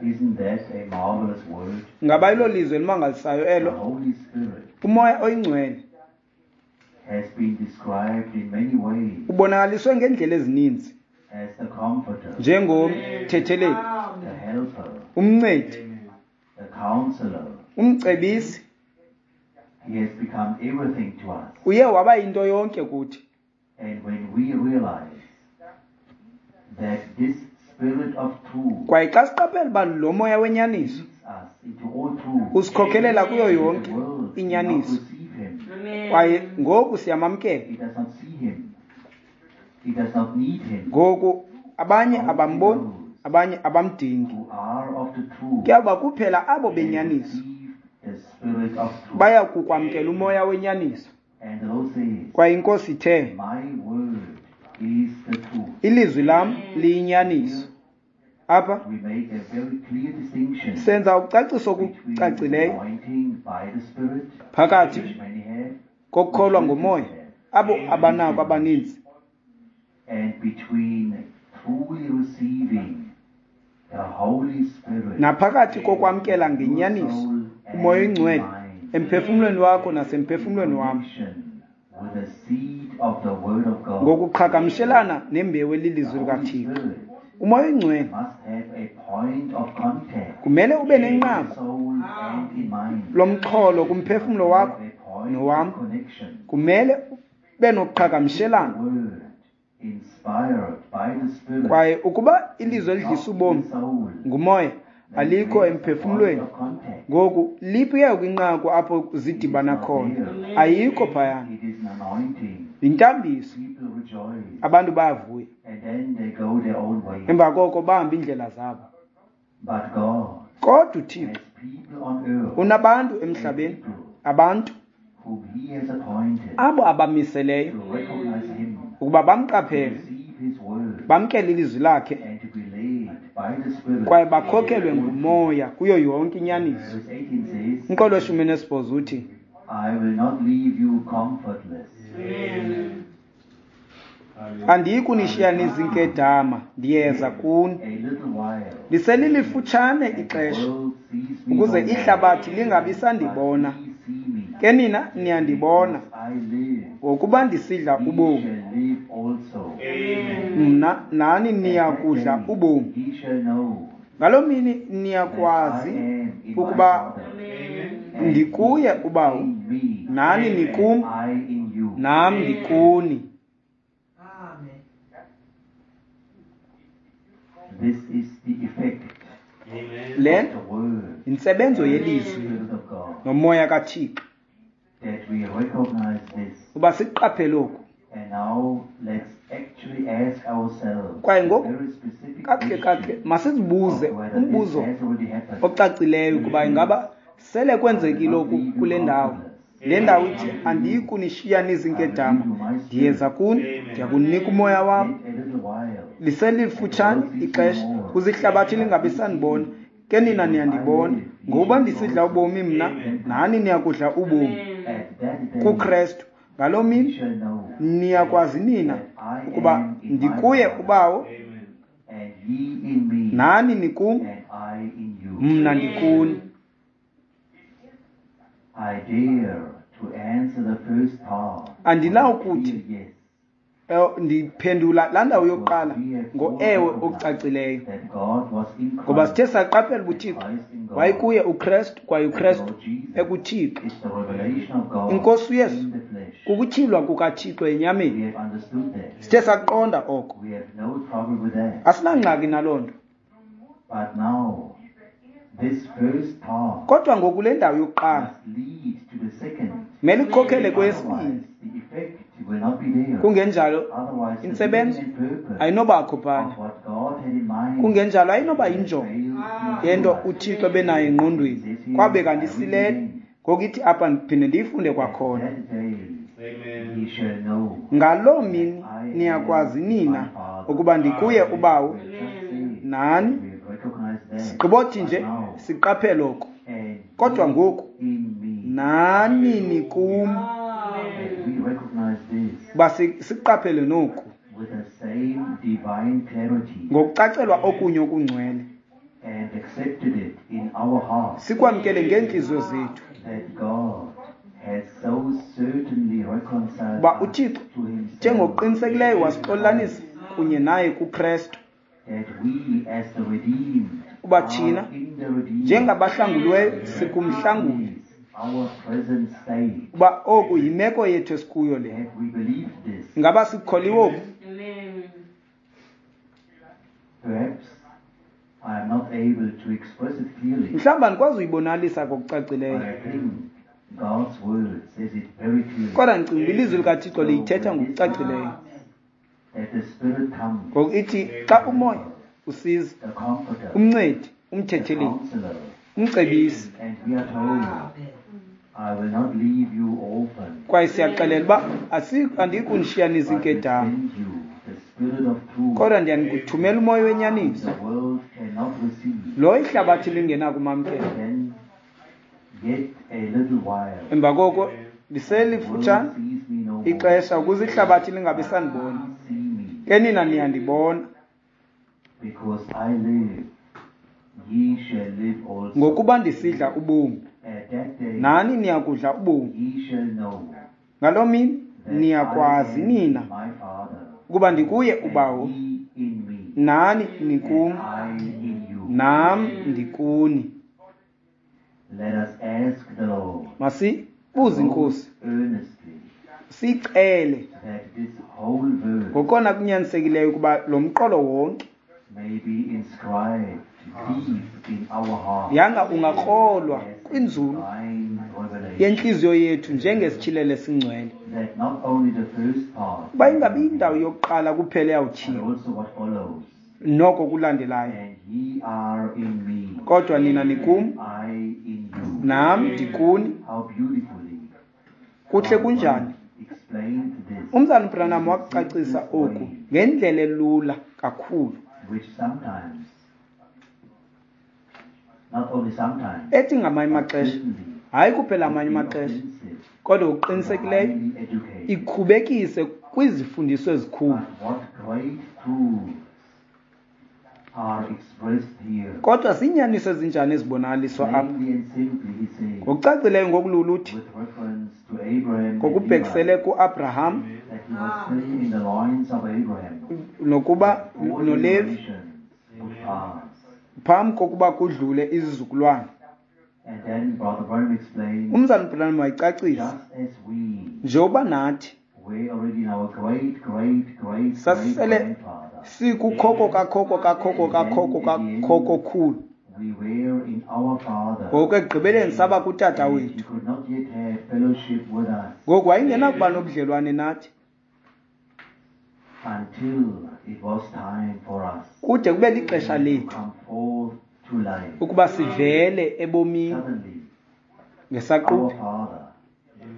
Isn't that a marvelous word? Ngaba ilo lizwi elimangalisayo The elo? Holy Spirit Umoya oyingcwele has been described in many ways ubonakaliswe ngeendlela ezininzi as the comforter, njengomthetheleli, the helper, umncedi, the counselor. umcebisi. He has become everything to us. Uye waba yinto yonke kuthi. And when we realize that this Spirit of truth Kwaye xa siqaphela uba lo moya wenyaniso leads us into all truth, usikhokelela kuyo the yonke world cannot inyaniso, receive him. kwaye ngoku siyamamkela. It does not see him. It does not need him. Ngoku abanye abamboni, abanye abamdingi. Who are of the truth Kuyawuba kuphela abo can benyaniso receive the Spirit of truth. baya kukwamkela umoya wenyaniso. And the Lord says, Kwaye iNkosi ithe, my word is the truth. ilizwi lam liyinyaniso. Apha We make a very clear distinction senza ucaciso between okucacileyo anointing by the Spirit, phakathi which many have, kokukholwa ngomoya, abo abanako abaninzi, and between truly receiving the Holy Spirit naphakathi kokwamkela in your ngenyaniso soul umoya and oyingcwele mind, emphefumlweni wakho nasemphefumlweni in wam, connection with the seed of the Word of God. ngokuqhagamshelana nembewu The elilizwi Holy likaThixo. Spirit Umoya oyingcwele must have a point of contact kumele ube in your nenqaku soul and in mind. lomxholo kumphefumlo wakho Have a point nowam. of connection. Kumele ube noqhagamshelano. Word inspired by the Spirit Kwaye ukuba ilizwi is elidlisa not in ubomi the soul, ngumoya then alikho where is the point emphefumlweni, of contact? ngoku liphi ke kwinqaku apho It is zidibana not khona? there. Ayikho phayana. It is an anointing. Yintambiso. People rejoice, Abantu bayavuya, and then they go their own way. emva koko bahamba iindlela zabo. But God Kodwa uThixo has people on earth, unabantu and emhlabeni, people abantu whom He has appointed abo abamiseleyo to recognize Him, ukuba to bamqaphele, receive His word, bamkele ilizwi lakhe, and to be led by the Spirit. kwaye bakhokelwe ngumoya kuyo yonke inyaniso. Verse eighteen says, Umqolo weshumi nesibhozo uthi, I will not leave you comfortless. andiyi kunishiya nizinkedama, ndiyeza kuni. A little while, Liselilifutshane and the ixesha, world sees me ukuze no more, ihlabathi lingabi sandibona. but ye see me. Ke nina niyandibona, Because I live, ngokuba ndisidla ye ubomi, shall live also. mna nani At that niya kudla day ubomi. ye shall know Ngaloo mini that I niyakwazi am in my ukuba Father, and ndikuye ye uBawo, in me, nani and nikum, I in you. nam ndikuni. Amen. This is the effect Le of the word yintsebenzo and the yelizwi Spirit of God, nomoya kaThixo, that we recognize this. uba siqaphele oku. And now let's actually ask ourselves Kwaye a ngoku, very specific kakuhle kakuhle question masizibuze of whether this umbuzo has already happened. ocacileyo ukuba ingaba sele kwenzekile oku kule ndawo. Le ndawo ithi, andiyi kunishiya nizinkedama, ndiyeza kuni, ndiyakunika umoya wam. Yet a little while, Liselifutshane ixesha, ukuze ihlabathi lingabi sandibona. Ke nina niyandibona, ngokuba ndisidla ubomi mna, nani niyakudla ubomi at that day kuKrestu. Ngaloo ye mini shall know niyakwazi nina that I ukuba am in my ndikuye Father, uBawo, And ye in me, nani nikum, and I in you. Mna ndikuni. I dare to answer the first part. Andinawukuthi Yes. eh, ndiphendula laa ndawo yokuqala ngo-ewe okucacileyo, That God was in ngoba Christ, sithe saqaphela uba uThixo Christ in God. wayekuye uKrestu kwaye uKrestu Lord Jesus ekuThixo. is the revelation of God Inkosi uYesu in the flesh. kukutyhilwa kukaThixo enyameni. We have understood that. Sithe saqonda oko, We have no trouble with that. asinangxaki naloo nto. But now, this first part Kodwa ngoku le ndawo yokuqala must lead to the second. kumele ikhokhele kweyesibini, Otherwise, the effect will not be there. kungenjalo Otherwise, the intsebenzo meaning and purpose ayinobakho phana, of what God had in mind kungenjalo ayinoba yinjongo failed to yento materialize. uThixo ebenayo engqondweni, kwabe kanti isilele. Ngoku ithi apha ndiphinde ndiyifunde kwakhona. That day ye shall know Ngaloo mini niyakwazi nina ukuba ndikuye uBawo, We have just said nani we have recognized that. sigqibothi nje But now, siqaphele oko. and Kodwa ye ngoku in me, nani nikum, and we recognize this uba si- siqaphele noku with the same divine clarity ngokucacelwa okunye okungcwele, and accepted it in our hearts sikwamkele ngeentliziyo zethu that God has so certainly reconciled uba us uThixo to himself njengokuqinisekileyo wasixolanisa kunye naye kuKrestu, that we as the redeemed uba are thina in the redeemed njengabahlanguliweyo sikumhlanguli, is our present state. uba oku yimeko yethu esikuyo le. Have we believed this? Ingaba sikukholiwe oku? Amen. Perhaps I am not able to express it clearly, Mhlawumbi andikwazi uyibonalisa but ngokucacileyo, I think God's word says it very clearly. kodwa ndicinga uba ilizwi likaThixo liyithetha ngokucacileyo. That the Spirit comes, Ngoku ithi xa umoya usiza, the Comforter, umncedi, the umthetheleli, Counselor, umcebisi, and we are told, I will not leave you orphans, kwaye siyaxelela uba asi- andiyikunishiya but will nizinkedama, send you the Spirit of truth, kodwa ndiyanikuthumela umoya wenyaniso, the world cannot receive. lo ihlabathi lingenakumamkela. Then, yet a little while, Emva koko the world liselifutshane sees me no more. ixesha ukuze ihlabathi lingabi sandibona, See me, ke nina niyandibona, because I live, ye shall live also. ngokuba ndisidla ubomi, At that day, nani niyakudla ubomi. ye shall know Ngaloo mini that niyakwazi I am nina in my Father, ukuba ndikuye and uBawo, ye in me, nani and nikum, I in you. nam ndikuni. Let us ask the Lord Masibuze iNkosi, most earnestly sicele that this whole verse ngokona kunyanisekileyo ukuba lo mqolo wonke may be inscribed deep in our hearts yanga ungakrolwa as a kwinzulu divine revelation, yentliziyo yethu njengesityhilelo esingcwele, that not only the first part, uba ingabi indawo yokuqala kuphela but eyawutyhilwa, also what follows. noko kulandelayo, And ye are in me, kodwa nina nikum, I in you. nam ndikuni. How beautifully Kuhle kunjani? explained this, Umzali Branham wakucacisa oku ngendlela elula kakhulu, which sometimes, not only sometimes, ethi ngamanye but amaxesha, certainly hayi kuphela would amanye be amaxesha, offensive kodwa to the ngokuqinisekileyo highly educated. ikhubekise kwizifundiso ezikhulu. But what great truths are expressed here. Kodwa ziinyaniso ezinjani ezibonakaliswa apha? Plainly and simply, he says, Ngokucacileyo ngokulula uthi, with reference to Abraham and ngokubhekisele Levi, kuAbraham that he was still in the loins of Abraham. nokuba Four noLevi generations would pass. phambi kokuba kudlule izizukulwana. And then Brother Branham explained, Umzali Branham wayicacisa, just as we njengoba nathi were already in our great, great, great, great sasisele grandfather, sikukhoko kakhoko kakhoko kakhoko kakhoko-khulu, we were in our father. ngoku ekugqibeleni saba kutata And he wethu. could not yet have fellowship with us Ngoku wayengenakuba nobudlelwane nathi until it was time for us kude kube lixesha to lethu come forth to life. ukuba sivele ebomini Suddenly, our ngesaquphe. Father,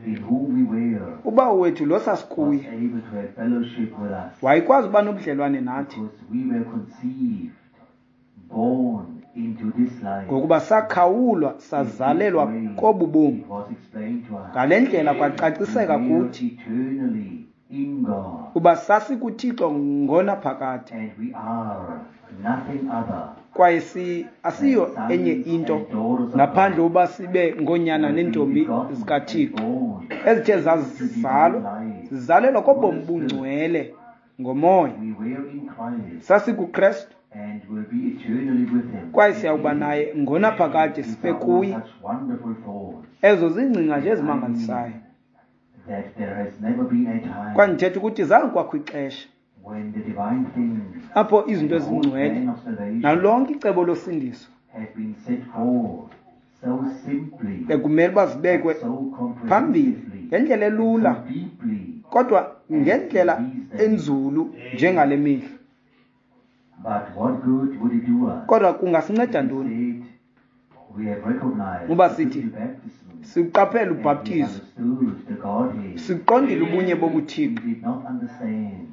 in whom we were, Ubawo wethu lo was sasikuye able to have fellowship with us wayekwazi uba nobudlelwane nathi, because we were conceived, born into this life. ngokuba sakhawulwa sazalelwa In this way, kobu bomi. It was explained to us. Ngale ndlela kwacaciseka We were kuthi eternally in God, Uba sasikuThixo ngonaphakade. and we are nothing other Kwaye si asiyo than sons enye into and daughters of ngaphandle God, uba sibe ngoonyana who have been neentombi begotten and zikaThixo born ezithe to zazalwa divine life zizalelwa through kobomi the Spirit. bungcwele ngomoya. We were in Christ SasikuKrestu and will be eternally with him. kwaye siyawuba naye ngonaphakade These sibe are all kuye. such wonderful thoughts. Ezo ziingcinga nje I ezimangalisayo. mean that there has never been a time Kwaye ndithetha ukuthi zange kwakho ixesha when the divine things apho and izinto the whole ezingcwele plan of salvation nalonke icebo losindiso have been set forth so simply, bekumele uba zibekwe but so phambili comprehensively, ngendlela and so elula deeply kodwa as ngendlela in these days. enzulu njengale mihla. But what good would it do us Kodwa kungasinceda if we ntoni said we have recognized uba the sithi biblical baptism siqaphele and we ubhaptizo, understood the Godhead? siqondile ubunye We bobuThixo, did not understand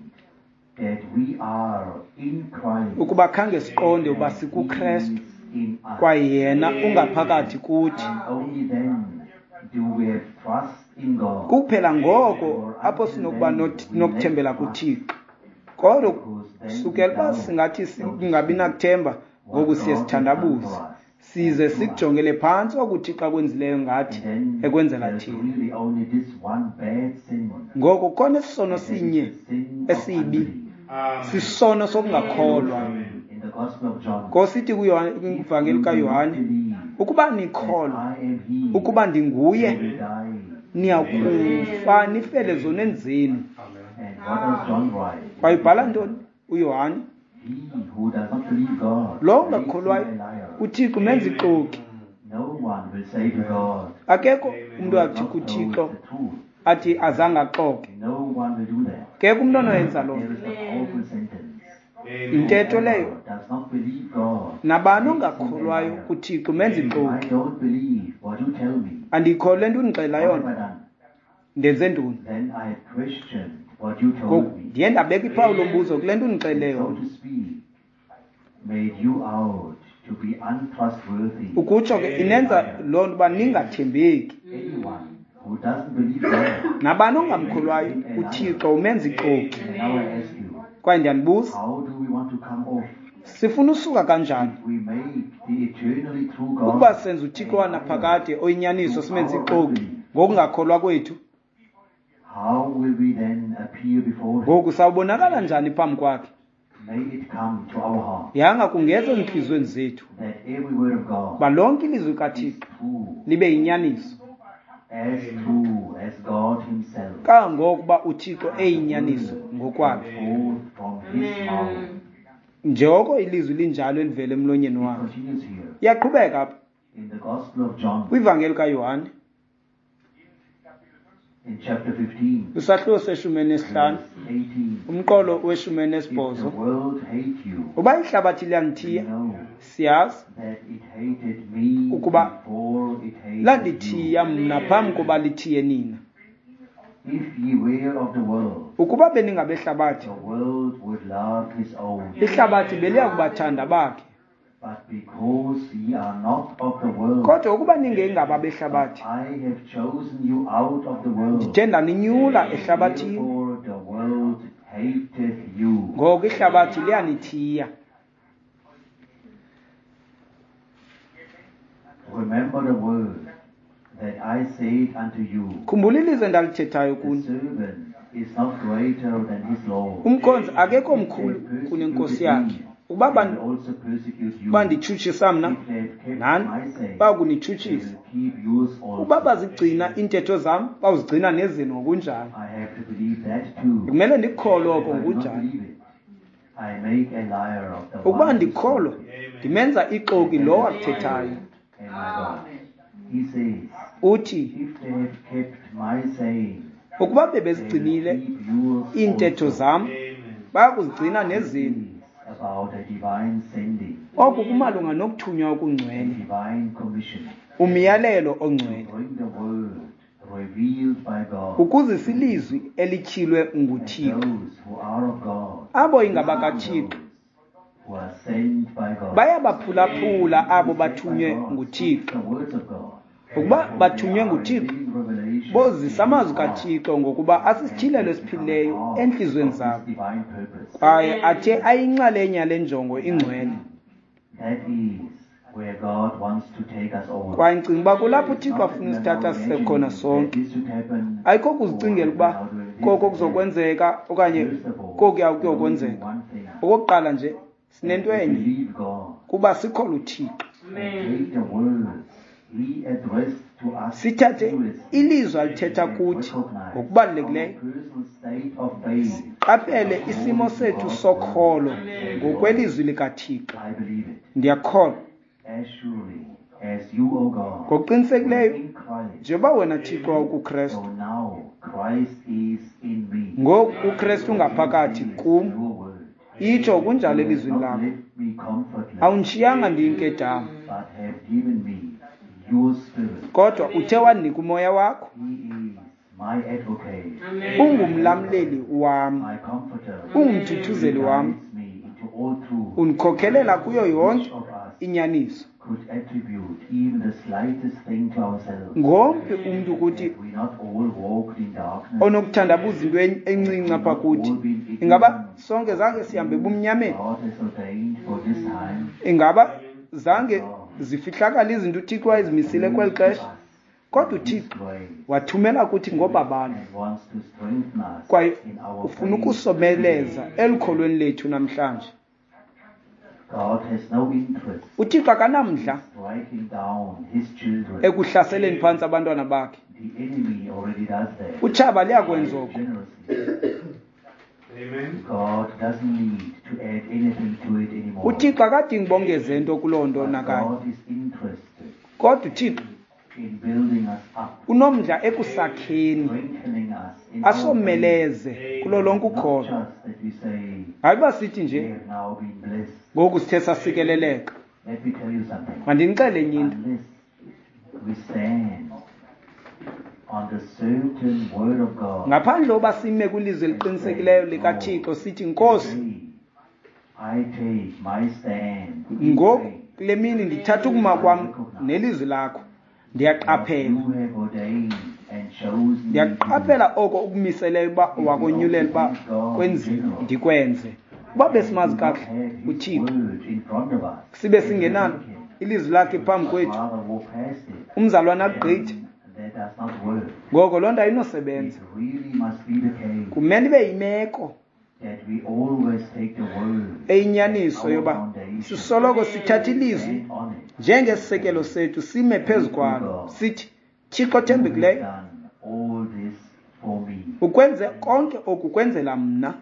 that we are in Christ ukuba khange siqonde uba and He sikuKrestu is in us. kwaye yena ungaphakathi kuthi. And only then do we have trust in God. Kuphela ngoko For apho until sinokuba then not- we lack nokuthembela trust, kuThixo. Kodwa because then we sukela uba doubt, singathi so to singabi speak, nakuthemba, what ngoku siye God has done sithandabuze, for us size and through us. sikujongele phantsi oku uThixo akwenzileyo ngathi And then ekwenzela there's thina. really only this one bad sin, Ngoko khona isisono and that is sinye the sin of esibi, unbelief. sisono sokungakholwa. In the Gospel of John, Ngosithi if kwivangeli you do not kaYohane, believe ukuba that nikholwa I am he, ukuba you ndinguye, will die niya in your sins. kufa nifele zoneni zenu. And what does John write? Kwaye ubhala ntoni uYohane? He who does not believe God Lo makes him ungakholwayo a liar. uThixo umenza ixoki. No one will say to God, Akekho You umntu have athi not told kuThixo the truth. athi azange axoke. No one will do that. Kekho umntu onoyenza loo There nto. is a powerful sentence. Intetho leyo, Whoever does not believe God nabani makes him a ongakholwayo liar. kuThixo umenza I ixoki. don't believe what you tell me. Andiyikholwa le nto undixelela What have yona, I done? ndenze ntoni? Then I have questioned what you told Ngoku me. ndiye ndabeka iphawu lombuzo kule nto undixelele And so yona. to speak, made you out to be untrustworthy Ukutsho ke and a inenza liar. loo nto uba ningathembeki. Anyone who doesn't believe God Nabani makes ongamkholwayo him a liar. uThixo umenza ixoki. And now I ask you, Kwaye ndiyanibuza, how do we want to come off sifuna usuka kanjani if we make the eternally true ukuba God senza a uThixo liar wanaphakade oyinyaniso through simenze our ixoki unbelief? ngokungakholwa kwethu? How will we then appear before him? Ngoku sawubonakala njani phambi kwakhe? May it come to our heart Yanga kungeza ezintliziyweni zethu that every word of God uba lonke ilizwi is kaThixo true, libe yinyaniso, as true as God himself. kangangokuba uThixo The eyinyaniso word ngokwakhe, comes forth from his mouth. njengoko ilizwi linjalo elivela emlonyeni It wakhe. continues here Iyaqhubeka apha in the Gospel of John kwivangeli kaYohane in chapter fifteen, kwisahluko seshumi elinesihlanu verse eighteen. umqolo weshumi If the elinesibhozo. world hate you, Uba ihlabathi liyanithiya, know siyazi that it hated me ukuba before it hated you. landithiya mna phambi koba lithiye nina. If ye were of the world, Ukuba beningabehlabathi, the world would love his own. ihlabathi beliya kubathanda bakhe. But because ye are not of the world, Kodwa ukuba ningengaba but behlabathi, I have chosen you out of the world, ndithe ndaninyula ehlabathini, therefore the world hateth you. ngoko ihlabathi liyanithiya. Remember the word that I said unto you, Khumbula ilizwi endalithethayo the kuni, servant is not greater than his Lord. umkhonzi akekho If they mkhulu have kunenkosi persecuted yakhe. me, Ukuba they ban- will also persecute you. banditshutshisa mna, If they have kept nani my saying, they bayakunitshutshisa. will keep yours Ukuba also. bazigcina iintetho zam, bawuzigcina nezenu ngokunjalo. I have to believe that too. Kumele ndikukholwe oko If I do not ngokunjalo. believe it, I make a liar of the Ukuba one who ndikholwa, spoke it. ndimenza ixoki And lowo that is akuthethayo. And my God. He says, Uthi, if they have kept my saying, ukuba they will bebezigcinile keep yours iintetho also. zam, bayakuzigcina This nezenu. is about a divine sending, Oku kumalunga nokuthunywa a okungcwele, divine commission umyalelo to ongcwele, bring the word revealed by God. ukuzisa ilizwi elityhilwe And nguThixo. those who are of God Abo listen to ingabakaThixo those who are sent by God. bayabaphulaphula abo Who is sent by bathunywe God nguThixo. speaks the words of God. Ukuba For they bathunywe are a nguThixo, living revelation Bozisa amazwi kaThixo ngokuba asisityhilelo esiphilileyo entliziyweni zabo, kwaye athe ayinxalenye yale njongo ingcwele. Kwaye ndicinga uba kulapho uThixo afuna usithatha sise khona sonke. Ayikho kuzicingela ukuba koko kuzokwenzeka okanye kokuya kuyokwenzeka. Okokuqala nje sinento enye, kuba sikholwa uThixo. Sithathe ilizwi alithetha kuthi ngokubalulekileyo, siqaphele isimo sethu sokholo ngokwelizwi likaThixo. Ndiyakholwa ngokuqinisekileyo njengoba wena Thixo wawukuKrestu, ngoku uKrestu ungaphakathi kum. Itsho kunjalo elizwini lakho. Awundishiyanga ndiyinkedama, kodwa uthe wandinika umoya wakho. Ungumlamleli wam, ungumthuthuzeli wam, undikhokelela kuyo yonke inyaniso. Ngomphi umntu kuthi onokuthandabuza into encinci apha kuthi? Ingaba sonke zange sihambe ebumnyameni? Ingaba zange zifihlakale izinto uThixo wayezimisile kweli xesha? Kodwa uThixo wathumela kuthi ngobabalo, kwaye ufuna ukusomeleza elukholweni lethu namhlanje. UThixo akanamdla ekuhlaseleni phantsi abantwana bakhe. Utshaba liyakwenza oko. UThixo akadingi bongeze nto kuloo nto nakanye. Kodwa uThixo unomdla ekusakheni, asomeleze kulo lonke ukholo. Hayi uba sithi nje ngoku sithe sasikeleleka. Mandinixele enye into. Ngaphandle uba sime kwilizwi eliqinisekileyo likaThixo sithi, Nkosi, ngoku kule mini ndithatha ukuma kwam nelizwi lakho. Ndiyaqaphela, ndiyaqaphela oko ukumiseleyo uba wakonyulela uba kwenziwe, ndikwenze. Uba besimazi kakuhle uThixo, sibe singenalo ilizwi lakhe phambi kwethu, umzalwana agqithe, ngoko loo nto ayinosebenza. Kumele ibe yimeko eyinyaniso yoba sisoloko sithatha ilizwi njengesisekelo sethu, sime phezu kwalo, sithi, Thixo othembekileyo, ukwenze konke oku kwenzela mna.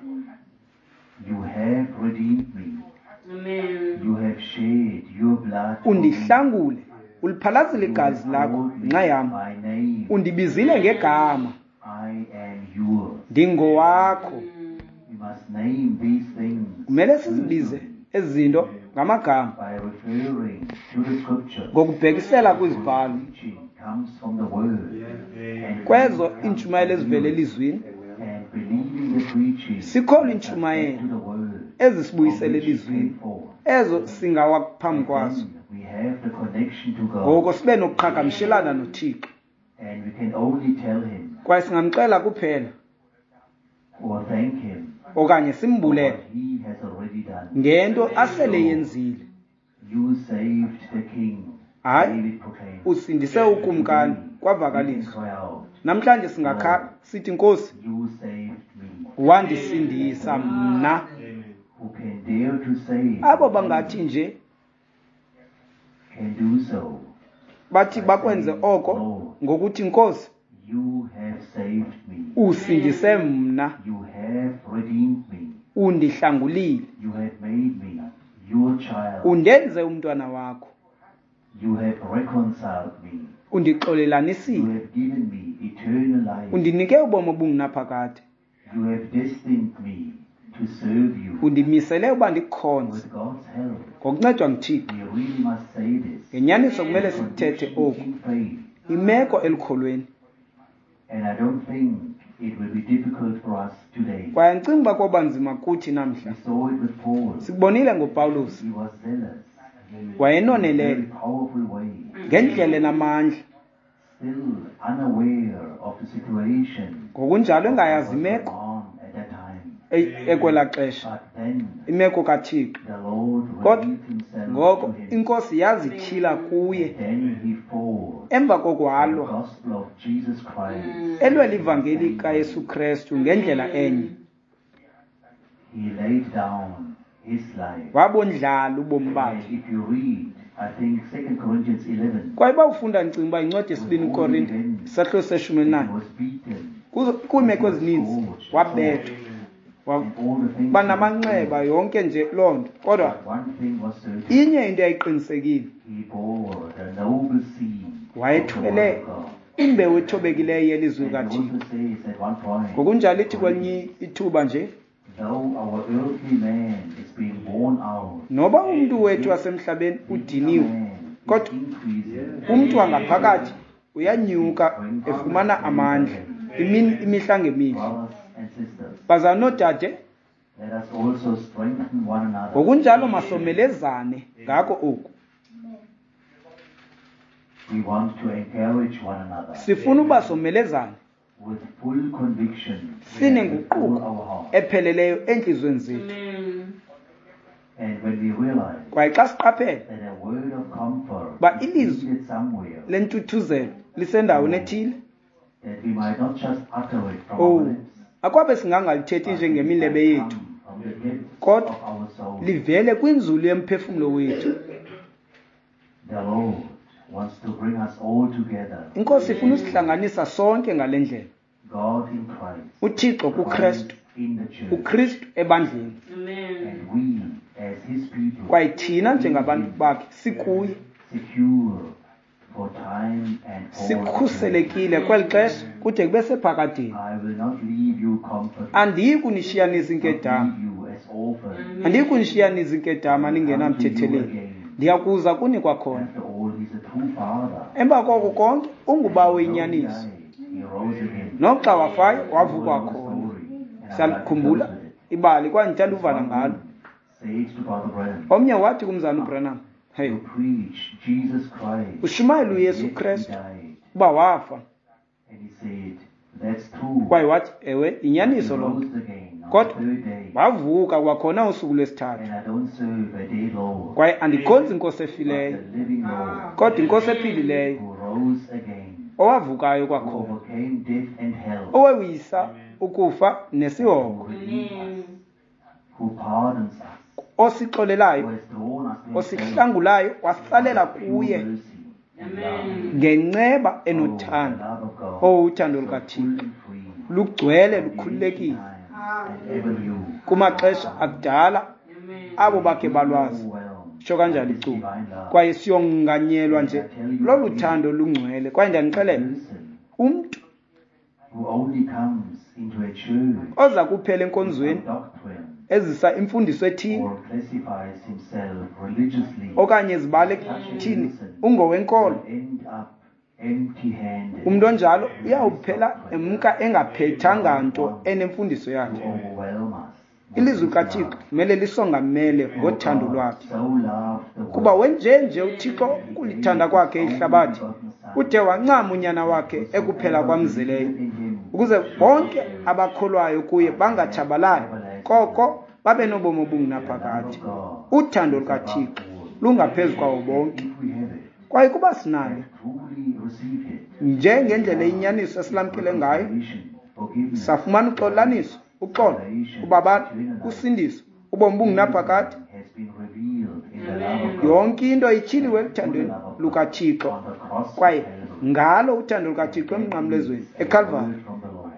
Undihlangule, uliphalazile igazi lakho ngenxa yam, undibizile ngegama, ndingowakho. Kumele sizibize ezi zinto ngamagama ngokubhekisela kwizibhalo, kwezo iintshumayelo ezivela elizwini. Sikholwa iintshumayelo ezisibuyisela elizwini, ezo singawa phambi kwazo. Ngoko sibe nokuqhagamshelana noThixo, kwaye singamxela kuphela okanye simbulele ngento asele yenzile. Hayi, usindise ukumkani, kwavakaliswa. Namhlanje singakhala sithi, Nkosi, wandisindisa mna. Abo bangathi nje bathi bakwenze oko ngokuthi, Nkosi, usindise mna, undihlangulile, undenze umntwana wakho, undixolelanisile, undinike ubomi obungunaphakade, undimisele uba ndikukhonze. Ngokuncedwa nguThixo, ngenyaniso kumele sikuthethe oku, imeko elukholweni. Kwaye andicingi uba koba nzima kuthi namhla. Sikubonile ngoPawulos, wayenonelele ngendlela enamandla, Ngokunjalo engayazi imeko ekwelaa xesha, imeko kaThixo. Kodwa ngoko iNkosi yazityhila kuye. Emva koko walwa, elwela ivangeli kaYesu Krestu ngendlela enye. Wabondlala ubomi bakhe. Kwaye uba ufunda ndicinga uba incwadi yesibini Korinte isahluko seshumi elinanye, kwiimeko ezininzi wabethwa, banamanxeba yonke nje loo nto. Kodwa inye into yayiqinisekile, wayethwele imbewu ethobekileyo yelizwi likaThixo. Ngokunjalo ithi kwelinye ithuba nje, noba umntu wethu wasemhlabeni udiniwe, kodwa umntu wangaphakathi uyanyuka efumana amandla imini imihla ngemihla. Bazalwane noodade, ngokunjalo masomelezane ngako oku. Sifuna uba somelezane sinenguquko epheleleyo entliziyweni zethu. Kwaye xa siqaphela uba ilizwi lentuthuzelo lisendaweni ethile, oh, akwabe singangalithethi njengemilebe yethu, kodwa livele kwinzulu yemphefumlo wethu. INkosi ifuna usihlanganisa sonke ngale ndlela. UThixo kuKrestu, uKristu ebandleni, kwaye thina njengabantu bakhe sikuye, sikhuselekile kweli xesha kude kube sephakadeni. Andiyi kunishiya nizinkedama, andiyi kunishiya nizinkedama ningenamthetheleli. Ndiyakuza kuni kwakhona. Emva koko konke ungubawo wenyaniso. Noxa wafayo wavuka khona. Siyakhumbula ibali kwaye ndithanda uvala ngalo. Omnye wathi kumzana uBranham, hey, ushumayela uYesu Krestu uba wafa. Kwaye wathi, ewe, inyaniso loo nto. Kodwa wavuka kwakhona usuku lwesithathu. Kwaye andikhonzi inkosi efileyo, kodwa inkosi ephilileyo, owavukayo kwakhona, owewisa ukufa nesihogo, osixolelayo, osihlangulayo, wasitsalela kuye ngenceba enothando. Oh, uthando lukaThixo lugcwele, lukhululekile. Kumaxesha akudala abo bakhe balwazi, tsho kanjalo icuba. Kwaye siyonganyelwa nje lolu thando lungcwele. Kwaye ndiyanixelela, umntu oza kuphela enkonzweni ezisa imfundiso ethile okanye zibale thini ungowenkolo, umntu onjalo uyawuphela emka engaphethanga nto enemfundiso yakhe. Ilizwi likaThixo kumele lisongamele ngothando lwakhe, kuba wenjenje uThixo ukulithanda kwakhe ihlabathi, ude wancama unyana wakhe ekuphela kwamzeleyo, ukuze bonke abakholwayo kuye bangatshabalali, koko babe nobomi obungunaphakade. Uthando lukaThixo lungaphezu kwawo bonke. Kwaye kuba sinalo njengendlela inyaniso esilamkele ngayo, safumana uxolaniso, uxolo, ubabalo, usindiso, ubomi obungunaphakade. Yonke into ityhiliwe eluthandweni lukaThixo, kwaye ngalo uthando lukaThixo emnqamlezweni eKalvari.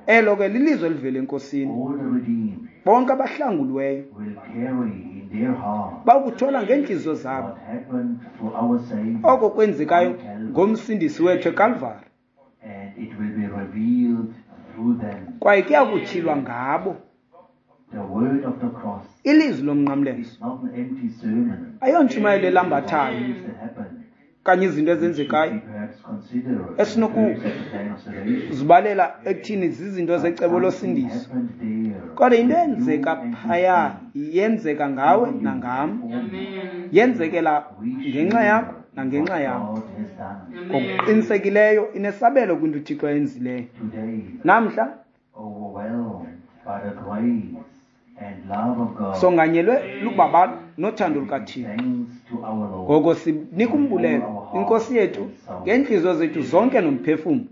Elo ke lilizwi elivela eNkosini. Bonke abahlanguliweyo bawukuthola ngeentliziyo zabo oko kwenzekayo ngomsindisi wethu eKalvari, kwaye kuyakutyhilwa ngabo. Ilizwi lomnqamlezo ayontshumayelo elambathayo okanye izinto ezenzekayo esinokuzibalela ekuthini zizinto zecebo losindiso, kodwa into eyenzeka phaya yenzeka ngawe nangam, yenzekela ngenxa yakho nangenxa what yam. God has done. Ngokuqinisekileyo inesabelo kwinto uThixo ayenzileyo. Today, Namhla overwhelmed by the grace and love of God, songanyelwe lubabalo nothando lukaThixo. thanks to our Lord Ngoko sinika umbulelo iNkosi yethu ngeentliziyo zethu zonke nomphefumlo.